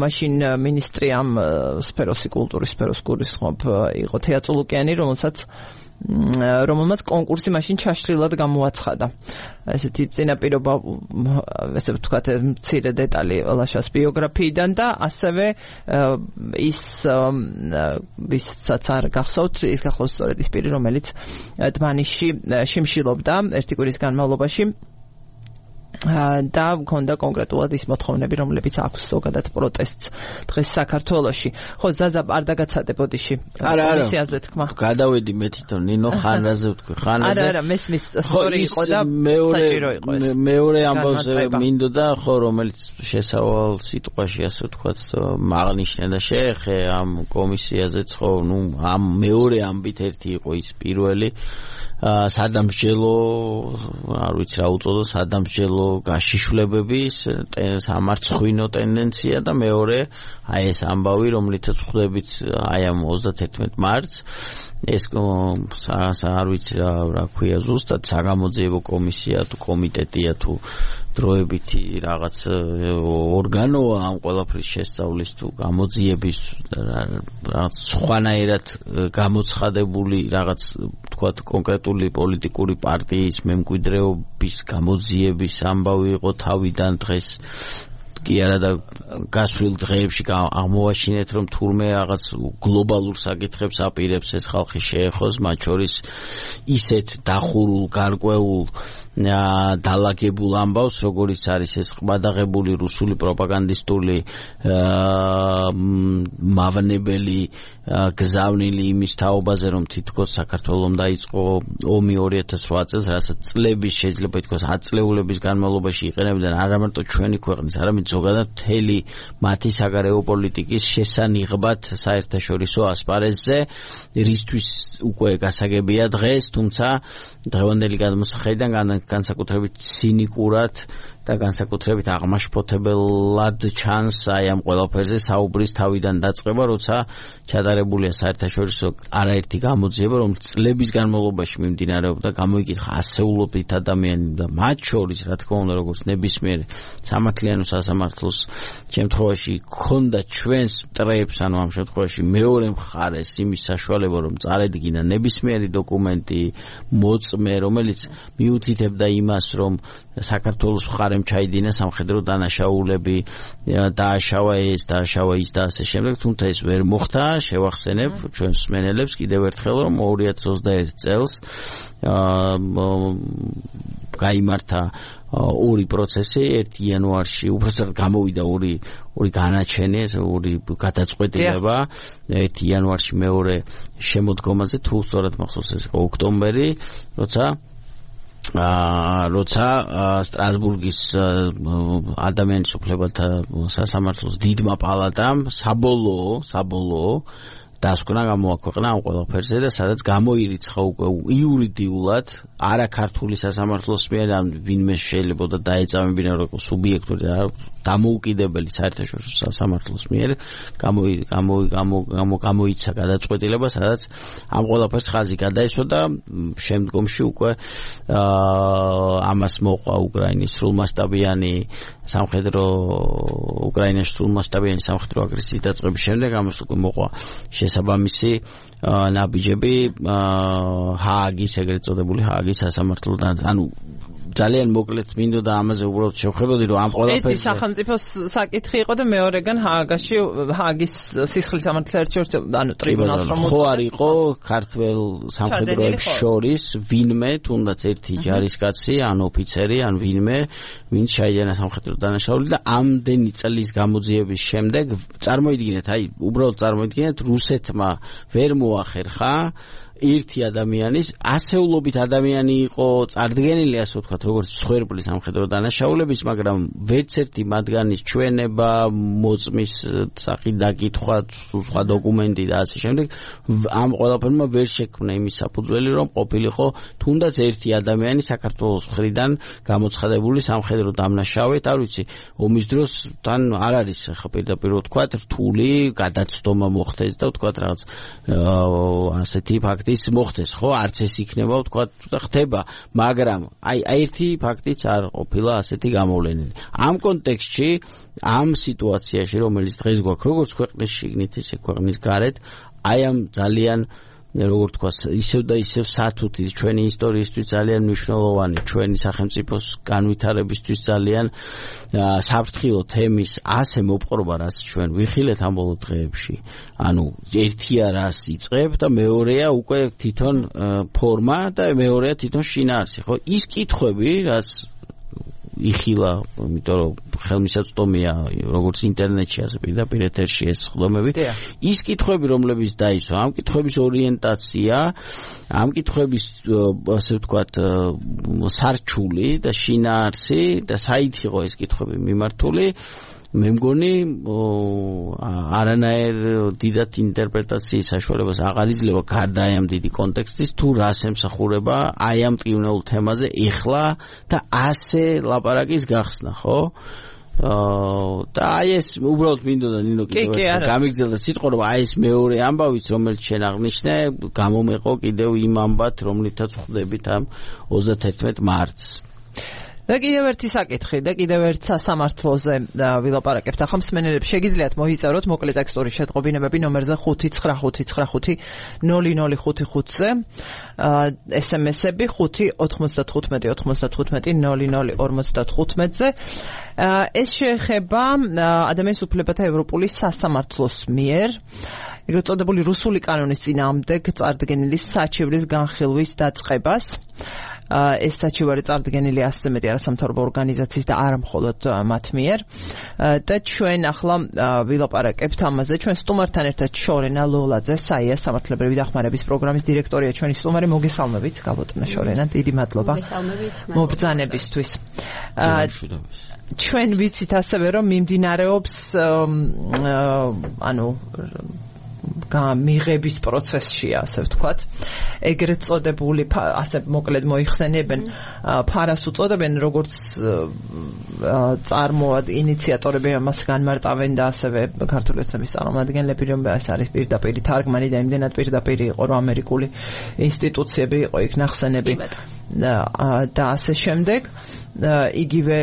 მაშინ მინისტრი ამ სფეროსი კულტურის სფეროს გულისხმობ იყო თეატრულუკიანი რომელმაც კონკურსი მაშინ ჩაშლილად გამოაცხადა ესეთი წინაპირობა ესე ვთქვათ მცირე დეტალი ლაშას ბიოგრაფიიდან და ასევე ის ვისაც არ გახსოვთ ის გახლავს სწორედ ის პირი რომელიც დმანიშში შიმშილობდა ერთი კვირის განმავლობაში და მქონდა კონკრეტულად ის მოთხოვნები, რომლებიც აქვს ზოგადად პროტესტს დღეს საქართველოში. ხო, ზაზა არ დაგაცადებოდიში კომისიაზე თქმა. გადავედი მე თვითონ ნინო ხანაზე ვთქვი, ხანაზე. არა, მესმის სწორი იყო და საჭირო იყო ეს. მეორე ამბავზე მინდოდა, ხო, რომელიც შესავალ სიტყვაში ასე ვთქვათ, მაღნიშნე და შეეხე ამ კომისიაზეც, ხო, ნუ ამ მეორე ამბით ერთი იყო ის პირველი სადამსჯელო, არ ვიცი რა უწოდო, სადამსჯელო გაშიშვლებების სამარცხვინო ტენდენცია და მეორე აი ეს ამბავი, რომლითაც ხვდებით აი ამ 31 მარტს ეს არ ვიცი რა ქვია ზუსტად საგამოძიებო კომისია თუ კომიტეტია თუ დროებითი რაღაც ორგანოა ამ ყველაფრის შესწავლის თუ გამოძიების რაღაც სხვანაირად გამოცხადებული რაღაც თქვათ კონკრეტული პოლიტიკური პარტიის მემკვიდრეობის გამოძიების ამბავი იყო თავიდან დღეს კი არა და გასვლილ დღეებში აღმოვაჩინეთ რომ თურმე რაღაც გლობალურ საკითხებს აპირებს ეს ხალხი შეეხოს მათ შორის ისეთ დახურულ გარკვეულ დალაგებულ ამბავს როგორიც არის ეს ყბადაღებული რუსული პროპაგანდისტული მავნებელი გზავნილი იმის თაობაზე რომ თითქოს საქართველოს დაიწყო ომი 2008 წელს რასაც წლების შეიძლება ითქვას ათწლეულების განმავლობაში იყენებდნენ არა მარტო ჩვენი ქვეყნის არამედ ზოგადად მთელი მათი საგარეო პოლიტიკის შესანიღბად საერთაშორისო ასპარეზზე რისთვის უკვე გასაგებია დღეს თუმცა დღევანდელი გადმოსახედიდან განსაკუთრებით ცინიკურად და განსაკუთრებით აღმაშფოთებელად ჩანს აი ამ ყველაფერზე საუბრის თავიდან დაწყება, როცა ჩატარებულია საერთაშორისო არაერთი გამოძიება, რომელიც წლების განმავლობაში მიმდინარეობდა, გამოიკითხა ასეულობით ადამიანი და მათ შორის, რა თქმა უნდა, როგორც ნებისმიერ სამართლიანო სასამართლოს შემთხვევაში ქონდა ჩვენს მტრებს, ანუ ამ შემთხვევაში მეორე მხარეს იმის საშუალება, რომ წარედგინა ნებისმიერი დოკუმენტი, მოწმე, რომელიც მიუთითებდა იმას, რომ საქართველოს მხარემ ჩაიდინა სამხედრო დანაშაულები, დააშავა ის და ასე შემდეგ, თუმცა ეს ვერ მოხდა, შევახსენებ ჩვენს მსმენელებს კიდევ ერთხელ, რომ 2021 წელს გაიმართა ორი პროცესი, 1 იანვარში, უბრალოდ გამოვიდა ორი განაჩენი, ორი გადაწყვეტილება, 1 იანვარში მეორე შემოდგომაზე, თუ სწორად მახსოვს ეს იყო ოქტომბერი, როცა სტრასბურგის ადამიანის უფლებათა სასამართლოს დიდმა პალატამ საბოლოო დასკვნა გამოაქვეყნა ამ ყველაფერზე და სადაც გამოირიცხა უკვე იურიდიულად არა ქართული სასამართლოს მიერ ან ვინმე შეიძლება და დაეწამებინა როგორ სუბიექტური და დამოუკიდებელი საერთაშორისო სასამართლოს მიერ გამოიცა გადაწყვეტილება, სადაც ამ ყველაფერს ხაზი გადაესვა და შემდგომში უკვე ამას მოყვა უკრაინის სრულმასშტაბიანი სამხედრო უკრაინაში სრულმასშტაბიანი სამხედრო აგრესიის დაწყების შემდეგ ამას უკვე მოყვა შესაბამისი ნაბიჯები ჰააგის ეგრეთ წოდებული ჰააგის სასამართლოდან. ანუ ძალიან მოკლედ მინდოდა ამაზე უბრალოდ შევხედოდი რომ ამ ყველაფერზე ერთი სახელმწიფოს საკითხი იყო და მეორეგან ჰააგის სისხლის სამართლის საერთაშორისო ანუ ტრიბუნალს რომ ხო არ იყო ქართველ სამხედროებს შორის ვინმე თუნდაც ერთი ჯარისკაცი ან ოფიცერი ან ვინმე ვინც შეიძინა სამხედრო დანაშაული და ამდენი წლის გამოძიების შემდეგ წარმოიდგინეთ უბრალოდ წარმოიდგინეთ რუსეთმა ვერ მოახერხა ერთი ადამიანის ასეულობით ადამიანი იყო წარდგენილი ასე ვთქვათ როგორც სხვერპლის სამხედრო დანაშაულების, მაგრამ ვერც ერთი მათგანის ჩვენება, მოწმის სახით დაკითხვა, სხვა დოკუმენტი და ასე შემდეგ ამ ყველაფერმა ვერ შექმნა იმის საფუძველი, რომ ყოფილიყო თუნდაც ერთი ადამიანი საქართველოს მხრიდან გამოცხადებული სამხედრო დამნაშავედ, არ ვიცი, ომის დროს თან არ არის ხა პირდაპირ ვთქვათ რთული გადაცდომა მოხდეს და ვთქვათ რაღაც ასეთი ფაქტი ის მოხდეს, ხო, არც ეს იქნება, ვთქვათ, და ხდება, მაგრამ აი ერთი ფაქტიც არ ყოფილა ასეთი გამოვლენილი. ამ კონტექსტში, ამ სიტუაციაში, რომელიც დღეს გვაქვს, როგორც ქვეყნის შიგნით, ისე ქვეყნის გარეთ, აი ამ ძალიან როგორც თქვა, ისევ და ისევ სათუთი ჩვენი ისტორიისთვის ძალიან მნიშვნელოვანი, ჩვენი სახელმწიფოს განვითარებისთვის ძალიან საფრთხილო თემის ასე მოპყრობა, რაც ჩვენ ვიხილეთ ამ ბოლო დღეებში. ანუ ერთია რას იწყებ და მეორეა უკვე თვითონ ფორმა და მეორეა თვითონ შინაარსი, ხო? ის კითხვები, რაც იხილა, იმიტომ რომ ხელმისაწვდომია როგორც ინტერნეტში, ასე პირდაპირ ეთერში ეს ხდომები. ის კითხვები, რომლებიც დაისვა, ამ კითხვების ორიენტაცია, ამ კითხვების ასე ვთქვათ სარჩული და შინაარსი და საით იყო ეს კითხვები მიმართული, მე მგონი არანაირ დიდად ინტერპრეტაციის საშუალებას აღარ იძლევა გარდა ამ დიდი კონტექსტის თუ რას ემსახურება აი ამ ტკივნეულ თემაზე ეხლა და ასე ლაპარაკის გახსნა, ხო? და აი ეს უბრალოდ მინდოდა ნინო კიდევ გამიგზელდა სიტყვა რომ აი ეს მეორე ამბავიც რომელიც შენ აღნიშნე გამომეყო კიდევ იმ ამბად რომლითაც ხვდებით ამ 31 მარტს. და კიდევ ერთი საკითხი და კიდევ ერთ სასამართლოზე ვილაპარაკებთ. ახლა მსმენელებს შეგიძლიათ მოიწეროთ მოკლე ტექსტური შეტყობინებები ნომერზე 599550055-ზე, SMS-ები 5-95-95-00-55-ზე. ეს შეეხება ადამიანის უფლებათა ევროპული სასამართლოს მიერ ეგრეთ წოდებული რუსული კანონის წინააღმდეგ წარდგენილი საჩივრის განხილვის დაწყებას. ეს საჩივარი წარდგენილი ასე მეტი არასამთავრობო ორგანიზაციის და არა მხოლოდ მათ მიერ და ჩვენ ახლა ვილაპარაკებთ ამაზე. ჩვენ სტუმართან ერთად შორენა ლოლაძე, საია სამართლებრივი დახმარების პროგრამის დირექტორია ჩვენი სტუმარი. მოგესალმებით, გაბატონო შორენა, დიდი მადლობა მობრძანებისთვის. ჩვენ ვიცით ასევე რომ მიმდინარეობს ანუ მიღების პროცესში, ასე ვთქვათ. ეგრეთ წოდებული, ასე მოკლედ მოიხსენიებენ, ფარას უწოდებენ, როგორც ინიციატორები ამას განმარტავენ და ასევე ქართული ოცნების წარმომადგენლები, რომ ეს არის პირდაპირი თარგმანი და იმდენად პირდაპირი იყო, რომ ამერიკული ინსტიტუციები იყო იქ ნახსენები და ასე შემდეგ. იგივე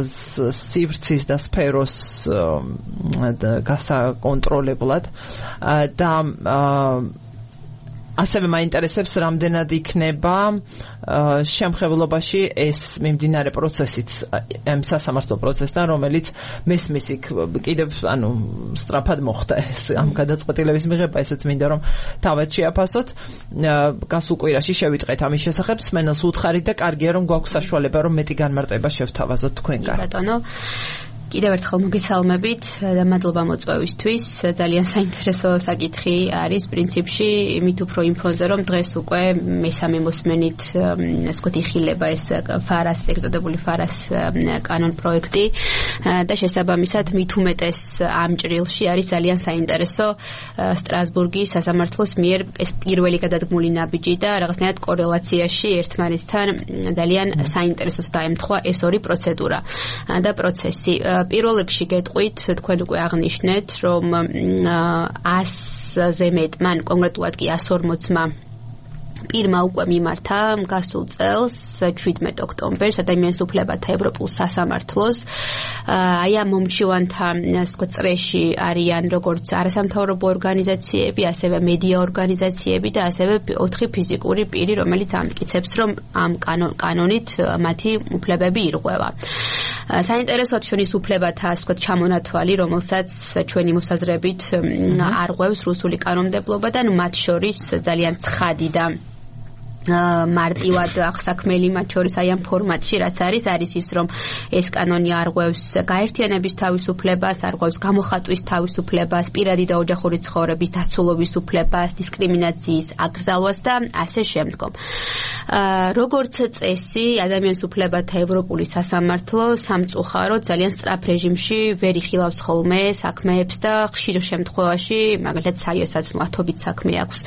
სივრცის და სფეროს გასაკონტროლებლად და ასევე მაინტერესებს რამდენად იქნება შემხებლობაში ეს მიმდინარე პროცესიც ამ სასამართლო პროცესთან, რომელიც მესმის იქ კიდევ ანუ სწრაფად მოხდა ეს ამ გადაწყვეტილების მიღება, ესეც მინდა რომ თავად შეაფასოთ. გასულ კვირაში შევიტყეთ ამის შესახებ, სმენელს უთხარით და კარგია რომ გვაქვს საშუალება რომ მეტი განმარტება შევთავაზოთ თქვენგან. ბატონო კიდევ ერთხელ მოგესალმებით და მადლობა მოწვევისთვის. ძალიან საინტერესო საკითხი არის პრინციპში, მით უფრო იმ ფონზე, რომ დღეს უკვე მესამე მოსმენით ასე ვთქვათ იხილება ეს ფარას, ეგზოტებული ფარას კანონ პროექტი და შესაბამისად მით უმეტეს ამ ჭრილში არის ძალიან საინტერესო სტრასბურგის სასამართლოს მიერ ეს პირველი გადადგმული ნაბიჯი და რაღაცნაირად კორელაციაში ერთმანეთთან ძალიან საინტერესოდ დაემთხვა ეს ორი პროცედურა და პროცესი. პირველ რიგში გეტყვით, თქვენ უკვე აღნიშნეთ, რომ 100-ზე მეტ, მან კონკრეტულად კი 140-მა პირმა უკვე მიმართა გასულ წელს 17 ოქტომბერს ადამიანის უფლებათა ევროპულ სასამართლოს. აი ამ მომჩივანთა წრეში არიან როგორც არასამთავრობო ორგანიზაციები, ასევე მედია ორგანიზაციები და ასევე 4 ფიზიკური პირი, რომელიც ამტკიცებს, რომ ამ კანონით მათი უფლებები ირღვევა. საინტერესოა ჩვენის უფლებათა ასე ვთქვათ ჩამონათვალი, რომელსაც ჩვენი მოსაზრებით არღვევს რუსული კანონმდებლობა და მათ შორის ძალიან ცხადი და მარტივად აღსაქმელი მათ შორის აი ამ ფორმატში რაც არის ის რომ ეს კანონი არღვევს გაერთიანების თავისუფლებას, არღვევს გამოხატვის თავისუფლებას, პირადი და ოჯახური ცხოვრების დაცულობის უფლებას, დისკრიმინაციის აკრძალვას და ასე შემდგომ. როგორც წესი, ადამიანის უფლებათა ევროპული სასამართლო სამწუხაროდ ძალიან სწრაფ რეჟიმში ვერ იხილავს ხოლმე საქმეებს და ხშირ შემთხვევაში, მაგალითად საიასაც ათობით საქმე აქვს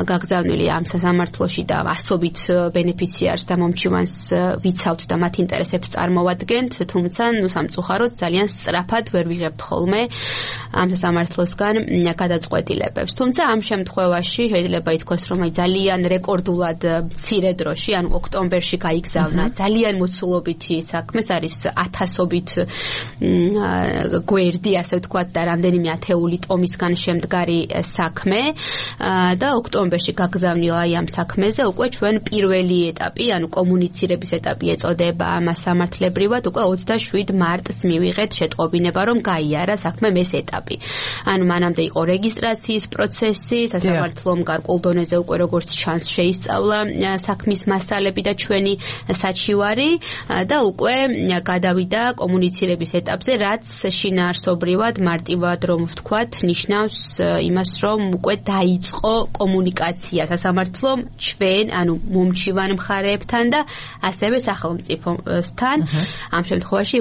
გაგზავნილი ამ სასამართლოში და ასობით ბენეფიციარს და მომჩივანს ვიცავთ და მათ ინტერესებს წარმოვადგენთ, თუმცა სამწუხაროდ ძალიან სწრაფად ვერ ვიღებთ ხოლმე ამ სასამართლოსგან გადაწყვეტილებებს. თუმცა ამ შემთხვევაში შეიძლება ითქვას, რომ ძალიან რეკორდულად მცირე დროში, ანუ ოქტომბერში გაიგზავნა ძალიან მოცულობითი საქმე, ეს არის 1000-ობით გვერდი, ასე ვთქვათ, და რამდენიმე ათეული ტომისგან შემდგარი საქმე და ოქტომბერში გაგზავნილა ამ საქმეზე უკვე ჩვენ პირველი ეტაპი, ანუ კომუნიცირების ეტაპი ეწოდება ამას სამართლებრივად, უკვე 27 მარტს მივიღეთ შეტყობინება, რომ გაიარა საქმე ეს ეტაპი. ანუ მანამდე იყო რეგისტრაციის პროცესი, სასამართლომ გარკვეულ დონეზე უკვე როგორც ჩანს შეისწავლა საქმის მასალები და ჩვენი საჩივარი და უკვე გადავიდა კომუნიცირების ეტაპზე, რაც შინაარსობრივად მარტივად რომ ვთქვათ, ნიშნავს იმას, რომ უკვე დაიწყო კომუნიკაცია სასამართლომ ჩვენ, ანუ მომჩივან მხარეებთან და ასევე სახელმწიფოსთან, ამ შემთხვევაში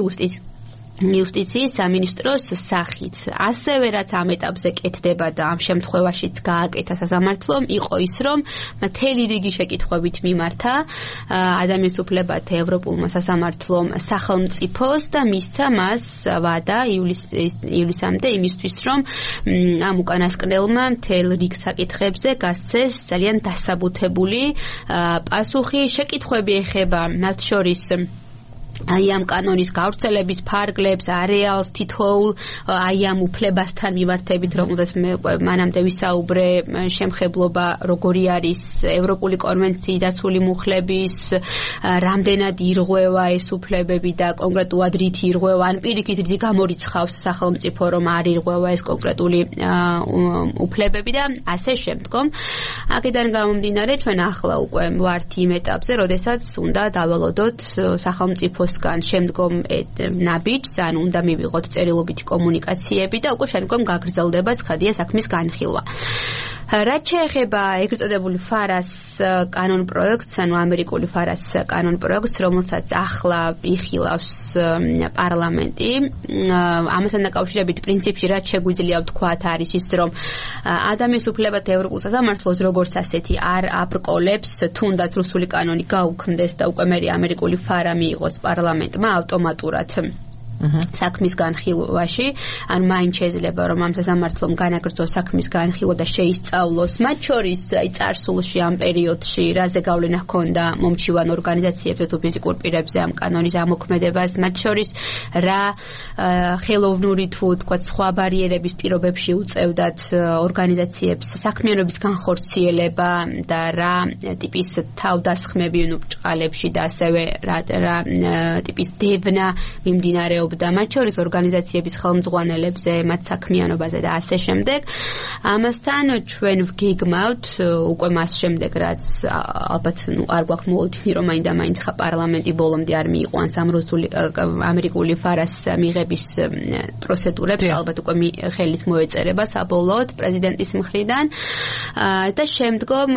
იუსტიციის სამინისტროს სახით. ასევე რაც ამ ეტაპზე კეთდება და ამ შემთხვევაშიც გააკეთა სასამართლომ, იყო ის, რომ მთელი რიგი შეკითხვებით მიმართა ადამიანის უფლებათა ევროპულმა სასამართლომ სახელმწიფოს და მისცა მას ვადა ივლისამდე იმისთვის, რომ ამ უკანასკნელმა მთელ რიგ საკითხებზე გასცეს ძალიან დასაბუთებული პასუხი. შეკითხვები ეხება მათ შორის აი ამ კანონის გავრცელების ფარგლებს, არეალს, თითოეულ აი ამ უფლებასთან მიმართებით, რომელზეც მე მანამდე ვისაუბრე, შემხებლობა როგორი არის ევროპული კონვენციის დაცული მუხლების, რამდენად ირღვევა ეს უფლებები და კონკრეტულად რით ირღვევა, ან პირიქით რითი გამორიცხავს სახელმწიფო, რომ არ ირღვევა ეს კონკრეტული უფლებები და ასე შემდგომ. აქედან გამომდინარე, ჩვენ ახლა უკვე ვართ იმ ეტაპზე, როდესაც უნდა დავალოდოთ სახელმწიფო შემდგომ ნაბიჯს, ანუ უნდა მივიღოთ წერილობითი კომუნიკაციები და უკვე შემდგომ გაგრძელდება ცხადია საქმის განხილვა. რაც შეეხება ეგრეთ წოდებული ფარას კანონ პროექტს, ანუ ამერიკული ფარას კანონ პროექტს, რომელსაც ახლა იხილავს პარლამენტი, ამასთან დაკავშირებით პრინციპში რაც შეგვიძლია ვთქვათ არის ის, რომ ადამიანის უფლებათა ევროპულ სასამართლოს როგორც ასეთი არ აბრკოლებს, თუნდაც რუსული კანონი გაუქმდეს და უკვე მე ამერიკული ფარა მიიღოს პარლამენტმა ავტომატურად საქმის განხილვაში, ანუ მაინც შეიძლება რომ ამ სასამართლომ განაგრძოს საქმის განხილვა და შეისწავლოს მათ შორის აი წარსულში ამ პერიოდში რაზე გავლენა ჰქონდა მომჩივან ორგანიზაციებზე თუ ფიზიკურ პირებზე ამ კანონის ამოქმედებას, მათ შორის რა ხელოვნური თუ თქვა სხვა ბარიერების პირობებში უწევდათ ორგანიზაციებს საქმიანობის განხორციელება და რა ტიპის თავდასხმები ბჭყალებში და ასევე რა ტიპის დევნა მიმდინარეობს მოგზაურობდა, მათ შორის ორგანიზაციების ხელმძღვანელებზე, მათ საქმიანობაზე და ასე შემდეგ. ამასთან ჩვენ ვგეგმავთ უკვე მას შემდეგ, რაც ალბათ არ გვაქვს მოლოდინი, რომ მაინდა-მაინც პარლამენტი ბოლომდე არ მიიღო ან ამერიკული ფარას მიღების პროცედურებს, ალბათ უკვე ხელის მოეწერება საბოლოოდ პრეზიდენტის მხრიდან და შემდგომ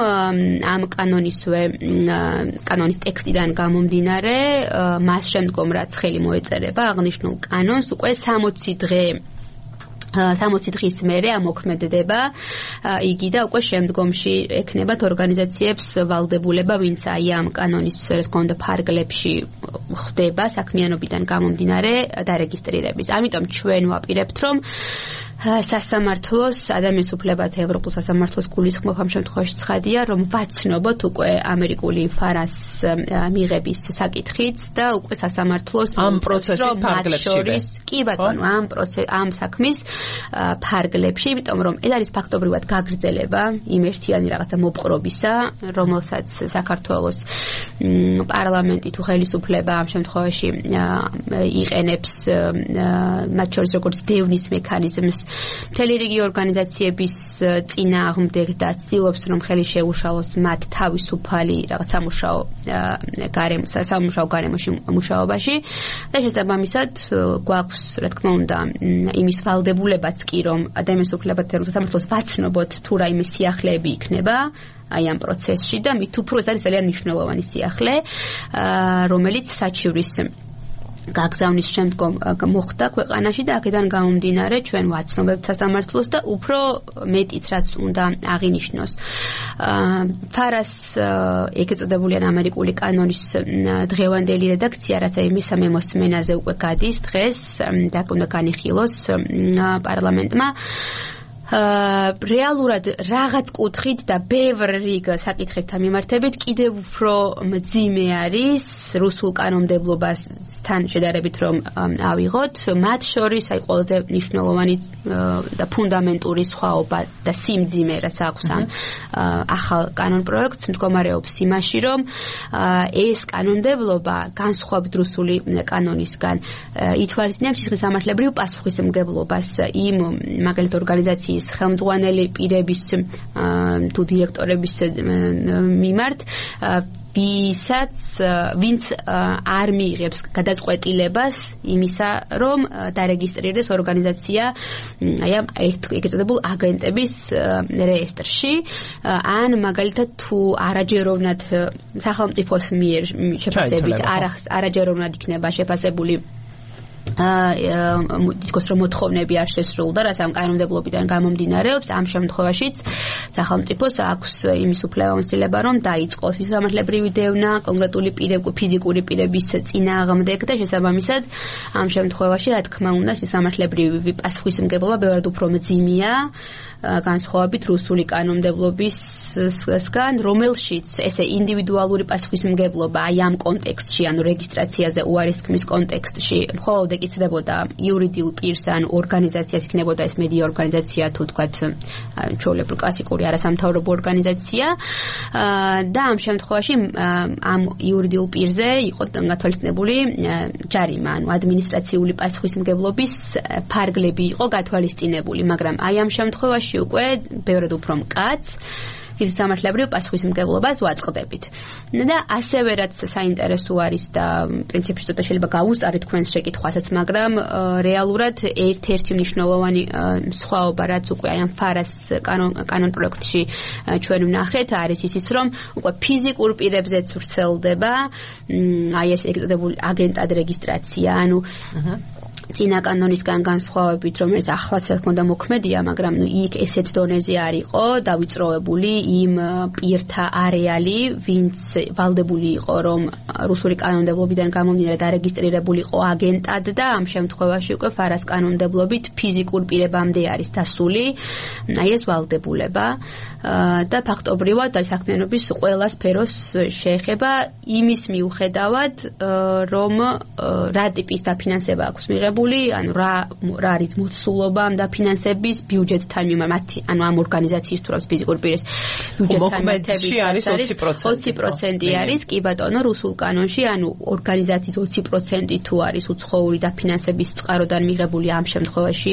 ამ კანონის ტექსტიდან გამომდინარე, მას შემდგომ რაც ხელი მოეწერება აღნიშნულ კანონს, უკვე 60 დღის მერე ამოქმედდება იგი და უკვე შემდგომში ექნებათ ორგანიზაციებს ვალდებულება, ვინც აი ამ კანონის რა თქმა უნდა ფარგლებში ხდება საქმიანობიდან გამომდინარე დარეგისტრირების. ამიტომ ჩვენ ვაპირებთ, რომ სასამართლოს ადამიანის უფლებათა ევროპულ სასამართლოს გულისხმობ ამ შემთხვევაში ცხადია, რომ ვაცნობოთ უკვე ამერიკული ფარას მიღების საკითხიც და უკვე სასამართლოს ამ პროცესის ფარგლებში. კი ბატონო, ამ საქმის ფარგლებში, იმიტომ რომ ეს არის ფაქტობრივად გაგრძელება იმ ერთიანი რაღაცა მოპყრობისა, რომელსაც საქართველოს პარლამენტი თუ ხელისუფლება ამ შემთხვევაში იყენებს, მათ შორის როგორც დევნის მექანიზმს მთელი რიგი ორგანიზაციების წინააღმდეგ და ცდილობს, რომ ხელი შეუშალოს მათ თავისუფალი რაღაც სამუშაო გარემოში მუშაობაში და შესაბამისად გვაქვს, რა თქმა უნდა, იმის ვალდებულებაც კი, რომ ადამიანის უფლებათა ევროპულ სასამართლოს ვაცნობოთ თუ რაიმე სიახლეები იქნება აი ამ პროცესში და მით უფრო ეს არის ძალიან მნიშვნელოვანი სიახლე, რომელიც საჩივრის გაგზავნის შემდგომ მოხდა ქვეყანაში და აქედან გამომდინარე ჩვენ ვაცნობებთ სასამართლოს და უფრო მეტიც რაც უნდა აღინიშნოს. ფარას ეგრეთ წოდებული ამერიკული კანონის დღევანდელი რედაქცია, რაც აი მესამე მოსმენაზე უკვე გადის დღეს და უნდა განიხილოს პარლამენტმა, რეალურად რაღაც კუთხით და ბევრ რიგ საკითხებთან მიმართებით კიდევ უფრო მძიმე არის რუსულ კანონმდებლობასთან შედარებით რომ ავიღოთ, მათ შორის აი ყველაზე მნიშვნელოვანი და ფუნდამენტური სხვაობა და სიმძიმე რაც აქვს ამ ახალ კანონპროექტს მდგომარეობს იმაში, რომ ეს კანონმდებლობა განსხვავებით რუსული კანონისგან ითვალისწინებს სამართლებრივ პასუხისმგებლობას იმ მაგალითად ორგანიზაციის ხელმძღვანელი პირების თუ დირექტორების მიმართ, ვინც არ მიიღებს გადაწყვეტილებას იმისა, რომ დარეგისტრირდეს ორგანიზაცია აი ამ ეგრეთ წოდებულ აგენტების რეესტრში, ან მაგალითად თუ არაჯეროვნად სახელმწიფოს მიერ შეფასებით არაჯეროვნად იქნება შეფასებული თითქოს რომ მოთხოვნები არ შესრულდა, რაც ამ კანონმდებლობიდან გამომდინარეობს, ამ შემთხვევაშიც სახელმწიფოს აქვს იმის უფლება, რომ დაიწყოს სამართლებრივი დევნა კონკრეტული ფიზიკური პირების წინააღმდეგ და შესაბამისად ამ შემთხვევაში, რა თქმა უნდა, სამართლებრივი პასუხისმგებლობა ბევრად უფრო მძიმეა განსხვავებით რუსული კანონმდებლობისგან, რომელშიც ესე ინდივიდუალური პასუხისმგებლობა აი ამ კონტექსტში, ანუ რეგისტრაციაზე უარისქმის კონტექსტში მხოლოდ ეკისრებოდა იურიდიულ პირს ან ორგანიზაციას, იქნებოდა ეს მედია ორგანიზაცია თუ თქვათ ჩვეულებრივ კლასიკური არასამთავრობო ორგანიზაცია და ამ შემთხვევაში ამ იურიდიულ პირზე იყო გათვალისწინებული ჯარიმა, ანუ ადმინისტრაციული პასუხისმგებლობის ფარგლები იყო გათვალისწინებული, მაგრამ აი ამ შემთხვევაში უკვე ბევრად უფრო მკაცრ ის სამართლებრივ პასუხისმგებლობას ვაწყდებით. და ასევე რაც საინტერესო არის და პრინციპში ცოტა შეიძლება გავუსწარით თქვენს შეკითხვასაც, მაგრამ რეალურად ერთ-ერთი მნიშვნელოვანი სხვაობა, რაც უკვე აი ამ ფარას კანონპროექტში ჩვენ ვნახეთ, არის ის, რომ უკვე ფიზიკურ პირებზეც ვრცელდება აი ეს ეგრეთ წოდებული აგენტად რეგისტრაცია, ანუ წინა კანონისგან განსხვავებით, რომელიც ახლაც თქმა უნდა მოქმედია, მაგრამ იქ ესეთ დონეზე არ იყო დავიწროებული იმ პირთა არეალი, ვინც ვალდებული იყო, რომ რუსული კანონმდებლობიდან გამომდინარე დარეგისტრირებულიყო აგენტად და ამ შემთხვევაში უკვე ფარას კანონმდებლობით ფიზიკურ პირებამდე არის დასული აი ეს ვალდებულება და ფაქტობრივად აი საქმიანობის ყველა სფეროს შეეხება იმის მიუხედავად, რომ რა ტიპის დაფინანსება აქვს მიღებული მიღებული, ანუ რა არის მოცულობა ამ დაფინანსების ბიუჯეტთან მიმართ, ანუ ამ ორგანიზაციის თუ რა ფიზიკურ პირის ბიუჯეტთან მოკმედში არის 20% არის, კი ბატონო, რუსულ კანონში, ანუ ორგანიზაციის 20% თუ არის უცხოური დაფინანსების წყაროდან მიღებული, ამ შემთხვევაში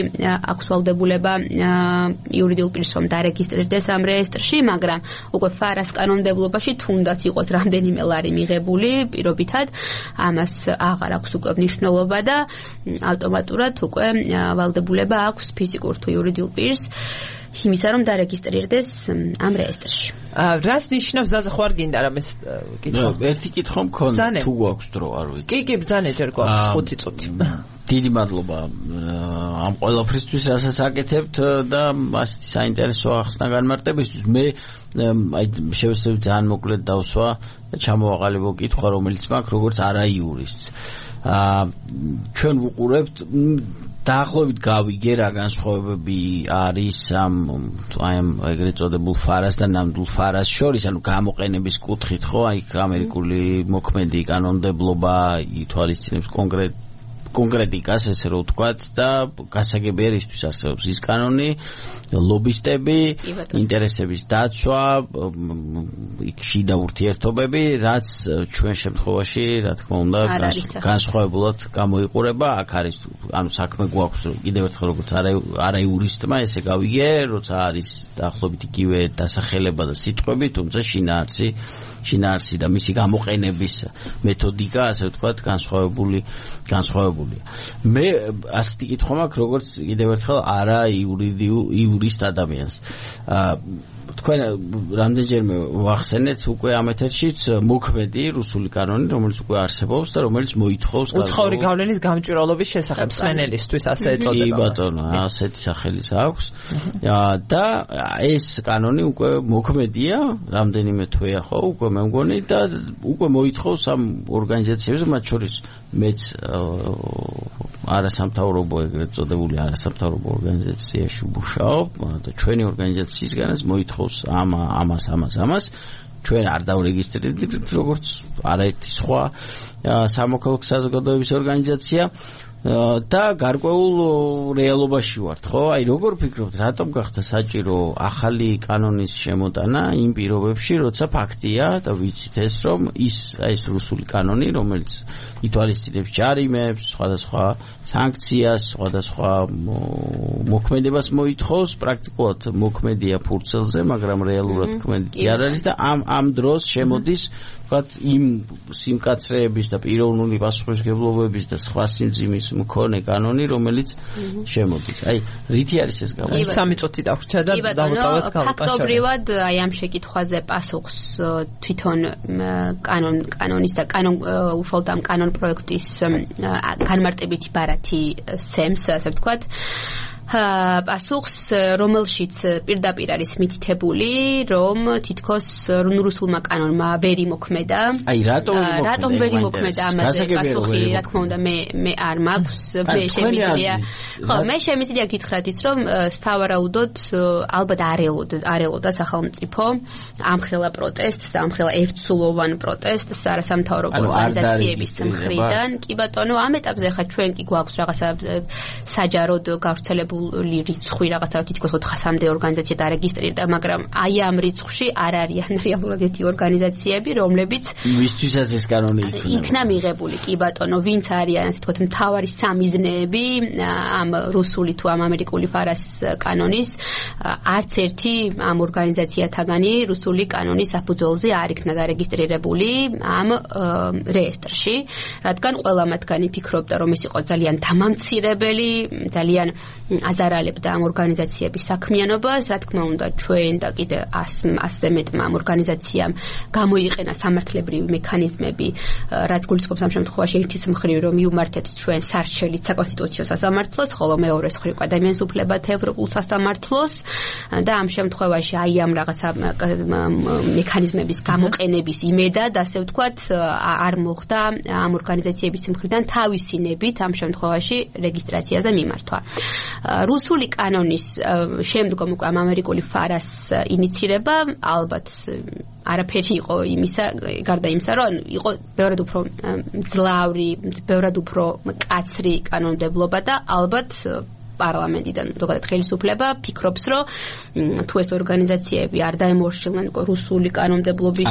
აქვს ვალდებულება იურიდიულ პირს რომ დარეგისტრირდეს ამ რეესტრში, მაგრამ უკვე ფარას კანონმდებლობაში თუნდაც იყოს რამდენიმე ლარი მიღებული პირობითად, ამას აღარ აქვს უკვე მნიშვნელობა და ავტომატურად უკვე ვალდებულება აქვს ფიზიკურ თუ იურიდიულ პირს იმისა რომ დარეგისტრირდეს ამ რეესტრში. რას ნიშნავს ზაზა ხوار გინდა რამეს კითხვა? ერთი კითხვა მქონდა თუ გვაქვს დრო, არ ვიცი. კი, ბძანე ჯერ გვაქვს 5 წუთი. დიდი მადლობა ამ ყველაფრისთვის, რასაც აკეთებთ და ასეთი საინტერესო ახსნა განმარტებისთვის. მე აი შევეცდები ძალიან მოკლედ დავსვა ჩამოვაყალიბო კითხვა, რომელიც მაქვს როგორც არა იურისტს. ჩვენ ვუყურებთ დაახლოებით გავიგე რა განსხვავებები არის ამ ეგრეთ წოდებულ ფარას და ნამდვილ ფარას შორის, ანუ გამოყენების კუთხით, ხო, აი ამერიკული მოქმედი კანონმდებლობა ითვალისწინებს კონკრეტიკას, ესე რომ ვთქვათ, და გასაგებია რისთვის არსებობს ის კანონი, ლობისტები, ინტერესების დაცვა, შიდა ურთიერთობები, რაც ჩვენ შემთხვევაში, რა თქმა უნდა, განსხვავებულად გამოიყურება. აქ არის, ანუ საქმე გვაქვს კიდევ ერთხელ როგორც არა იურისტმა, ესე გავიგე, როცა არის დაახლოებით იგივე დასახელება და სიტყვები, თუმცა შინაარსი და მისი გამოყენების მეთოდიკა, ასე ვთქვათ, განსხვავებულია. მე ასეთი კითხვა მაქვს, როგორც კიდევ ერთხელ არა იურისტ ადამიანს. თქვენ რამდენჯერმე ვახსენეთ უკვე ამ ეთერშიც მოქმედი რუსული კანონი, რომელიც უკვე არსებობს და რომელიც მოითხოვს უცხოური გავლენის გამჭვირვალობის შესახებ სმენელისთვის, ასე ეწოდება. კი ბატონო, ასეთი სახელიც აქვს. და ეს კანონი უკვე მოქმედია, რამდენიმე თვეა ხო, უკვე მე მგონი და უკვე მოითხოვს ამ ორგანიზაციებს, მათ შორის მეც არასამთავრობო ეგრეთ წოდებული არასამთავრობო ორგანიზაციაში ვმუშაობ და ჩვენი ორგანიზაციისგანაც მოითხოვს ამას ჩვენ არ დავრეგისტრირდით როგორც არაერთი სხვა სამოქალაქო საზოგადოების ორგანიზაცია და გარკვეულ რეალობაში ვართ, ხო? აი როგორ ფიქრობთ, რატომ გახდა საჭირო ახალი კანონის შემოტანა იმ პირობებში, როცა ფაქტია და ვიცით ეს რომ ეს რუსული კანონი, რომელიც ითვალისწინებს ჯარიმებს, სხვადასხვა სანქციას, სხვადასხვა მოქმედებას მოითხოვს, პრაქტიკულად მოქმედია ფურცელზე, მაგრამ რეალურად მოქმედი არ არის და ამ დროს შემოდის ვთქვათ იმ სიმკაცრეების და პიროვნული პასუხისმგებლობების და სხვა სიმძიმის მქონე კანონი, რომელიც შემოდის. აი, რითი არის ეს გამო? 3 წუთი დავრჩა და დავუწავეთ გამოტაშორება. ფაქტობრივად აი ამ შეკითხვაზე პასუხს თვითონ კანონის და უშუალოდ ამ კანონ პროექტის განმარტებითი ბარათი სცემს, ასე ვთქვათ. პასუხს, რომელშიც პირდაპირ არის მითითებული, რომ თითქოს რუსულმა კანონმა ვერ იმოქმედა. აი, რატომ ვერ იმოქმედა ამაზე პასუხი, რა თქმა უნდა, მე არ მაქვს, მე შემიძლია. ხო, მე შემიძლია გითხრათ ის, რომ სავარაუდოდ ალბათ არ ელოდა სახელმწიფო ამხელა პროტესტს, ამხელა ერთსულოვან პროტესტს არასამთავრობო ორგანიზაციების მხრიდან. კი ბატონო, ამ ეტაპზე ხა ჩვენ კი გვაქვს რაღაცა საჯაროდ გავრცელებული რიცხვი რაღაცა თითქოს 400-მდე ორგანიზაცია დარეგისტრირდა, მაგრამ აი ამ რიცხვში არ არიან რეალურად ერთი ორგანიზაციები, რომლებიც ვისთვისაც ეს კანონი იქნა მიღებული. კი ბატონო, ვინც არიან ასე თქო მთავარი სამიზნეები ამ რუსული თუ ამ ამერიკული ფარას კანონის, არც ერთი ამ ორგანიზაციათაგანი რუსული კანონის საფუძველზე არ იქნა დარეგისტრირებული ამ რეესტრში, რადგან ყველა მათგანი ფიქრობდა, რომ ეს იყო ძალიან დამამცირებელი, ძალიან აზარალებდა ამ ორგანიზაციების საქმიანობას, რა თქმა უნდა, ჩვენ და კიდე 100-ზე მეტმა ამ ორგანიზაციამ გამოიყენა სამართლებრივი მექანიზმები, რაც გულისხმობს ამ შემთხვევაში ერთის მხრივ, რომ მიუმართეთ ჩვენ სარჩელით საკონსტიტუციო სასამართლოს, ხოლო მეორეს მხრივ ადამიანის უფლებათა ევროპულ სასამართლოს და ამ შემთხვევაში აი ამ რაღაცა მექანიზმების გამოყენების იმედად, ასე ვთქვათ, არ მოხდა ამ ორგანიზაციების მხრიდან თავისი ნებით ამ შემთხვევაში რეგისტრაციაზე მიმართვა. რუსული კანონის შემდგომ უკვე ამერიკული ფარას ინიცირება ალბათ არაფერი იყო იმისა, გარდა იმისა, რომ იყო ბევრად უფრო მძლავრი, ბევრად უფრო მკაცრი კანონმდებლობა და ალბათ პარლამენტიდან ზოგადად ხელისუფლება ფიქრობს, რომ თუ ეს ორგანიზაციები არ დაემორჩილონ რუსული კანონმდებლობის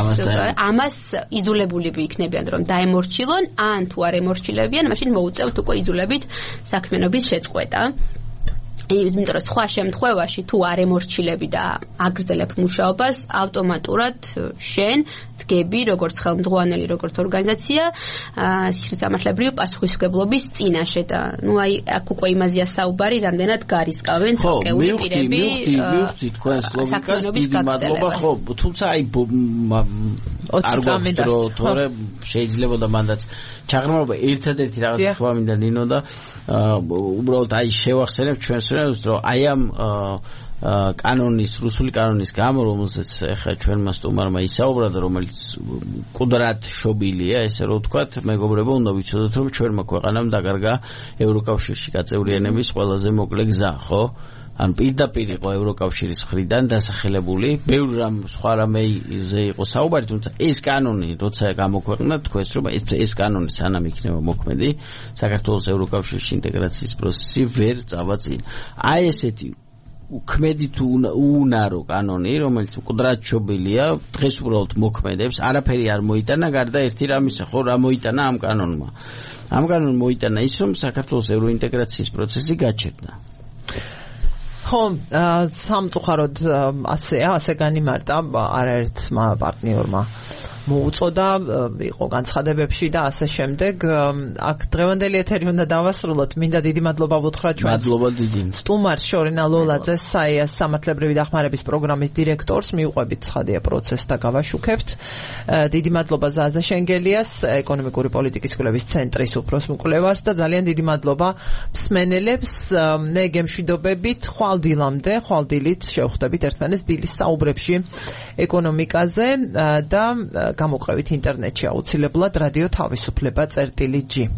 ამას იზოლებულები იქნებიან, რომ დაემორჩილონ, ან თუ არ ემორჩილებიან, მაშინ მოუწევთ უკვე იზოლებით საქმიანობის შეწყვეტა. იმიტომ რომ სხვა შემთხვევაში თუ არ ემორჩილები და აგრძელებ მუშაობას, ავტომატურად შენ დგები როგორც ხელმძღვანელი, როგორც ორგანიზაცია სისამართლებრივი პასუხისმგებლობის წინაშე და აი აქ უკვე იმაზეა საუბარი, რამდენად გარისკავენ თაკეული პირები. მივხვდი თქვენს ლოგიკას, დიდი მადლობა, ხო, თუმცა აი არ გვაქვს რომ თორე შეიძლება და მანდაც ჩაღრმავება ერთადერთი რაღაც თქვა მინდა ნინო და უბრალოდ აი შევახსენებ ჩვენს რომ აი ამ კანონის, რუსული კანონის გამო, რომელზეც ახლა ჩვენმა სტუმარმა ისაუბრა და რომელიც კუდრად შობილია, ესე რომ ვთქვათ, მეგობრებო, უნდა ვიცოდოთ, რომ ჩვენმა ქვეყანამ დაკარგა ევროკავშირში გაწევრიანების ყველაზე მოკლე გზა, ხო? ან პირდაპირ იყო ევროკავშირის მხრიდან დასახელებული, ბევრ რამ სხვა რამეზე იყო საუბარი, თუმცა ეს კანონი, როცა გამოქვეყნდა, თქვენს რომ ეს კანონი სანამ იქნება მოქმედი, საქართველოს ევროკავშირში ინტეგრაციის პროცესი ვერ წავა წინ. აი ესეთი უქმედი თუ უუნარო კანონი, რომელიც მკვდრად შობილია, დღეს უბრალოდ მოქმედებს, არაფერი არ მოიტანა, გარდა ერთი რამისა, ხო, რა მოიტანა ამ კანონმა. ამ კანონმა მოიტანა ის, რომ საქართველოს ევროინტეგრაციის პროცესი გაჩერდა. ხო, სამწუხაროდ ასე განიმარტა არაერთმა პარტნიორმა მოუწოდა, იყო განცხადებებში და ასე შემდეგ. აქ დღევანდელი ეთერი უნდა დავასრულოთ. მინდა დიდი მადლობა ვუთხრა ჩვენს მადლობა დიდი სტუმარს შორინა ლოლაძეს, საიას სამართლებრივი დახმარების პროგრამის დირექტორს, მიუყვებით ცხადია პროცესს და გავაშუქებთ. დიდი მადლობა ზაზა შენგელიას, ეკონომიკური პოლიტიკის კვლევის ცენტრის უფროს მკვლევარს და ძალიან დიდი მადლობა მსმენელებს. მე გემშვიდობებით ხვალდილამდე, ხვალდილით შევხვდებით ერთმანეთს დილის საუბრებში ეკონომიკაზე და გამოყევით ინტერნეტში აუცილებლად რადიო თავისუფლება წერტილი G.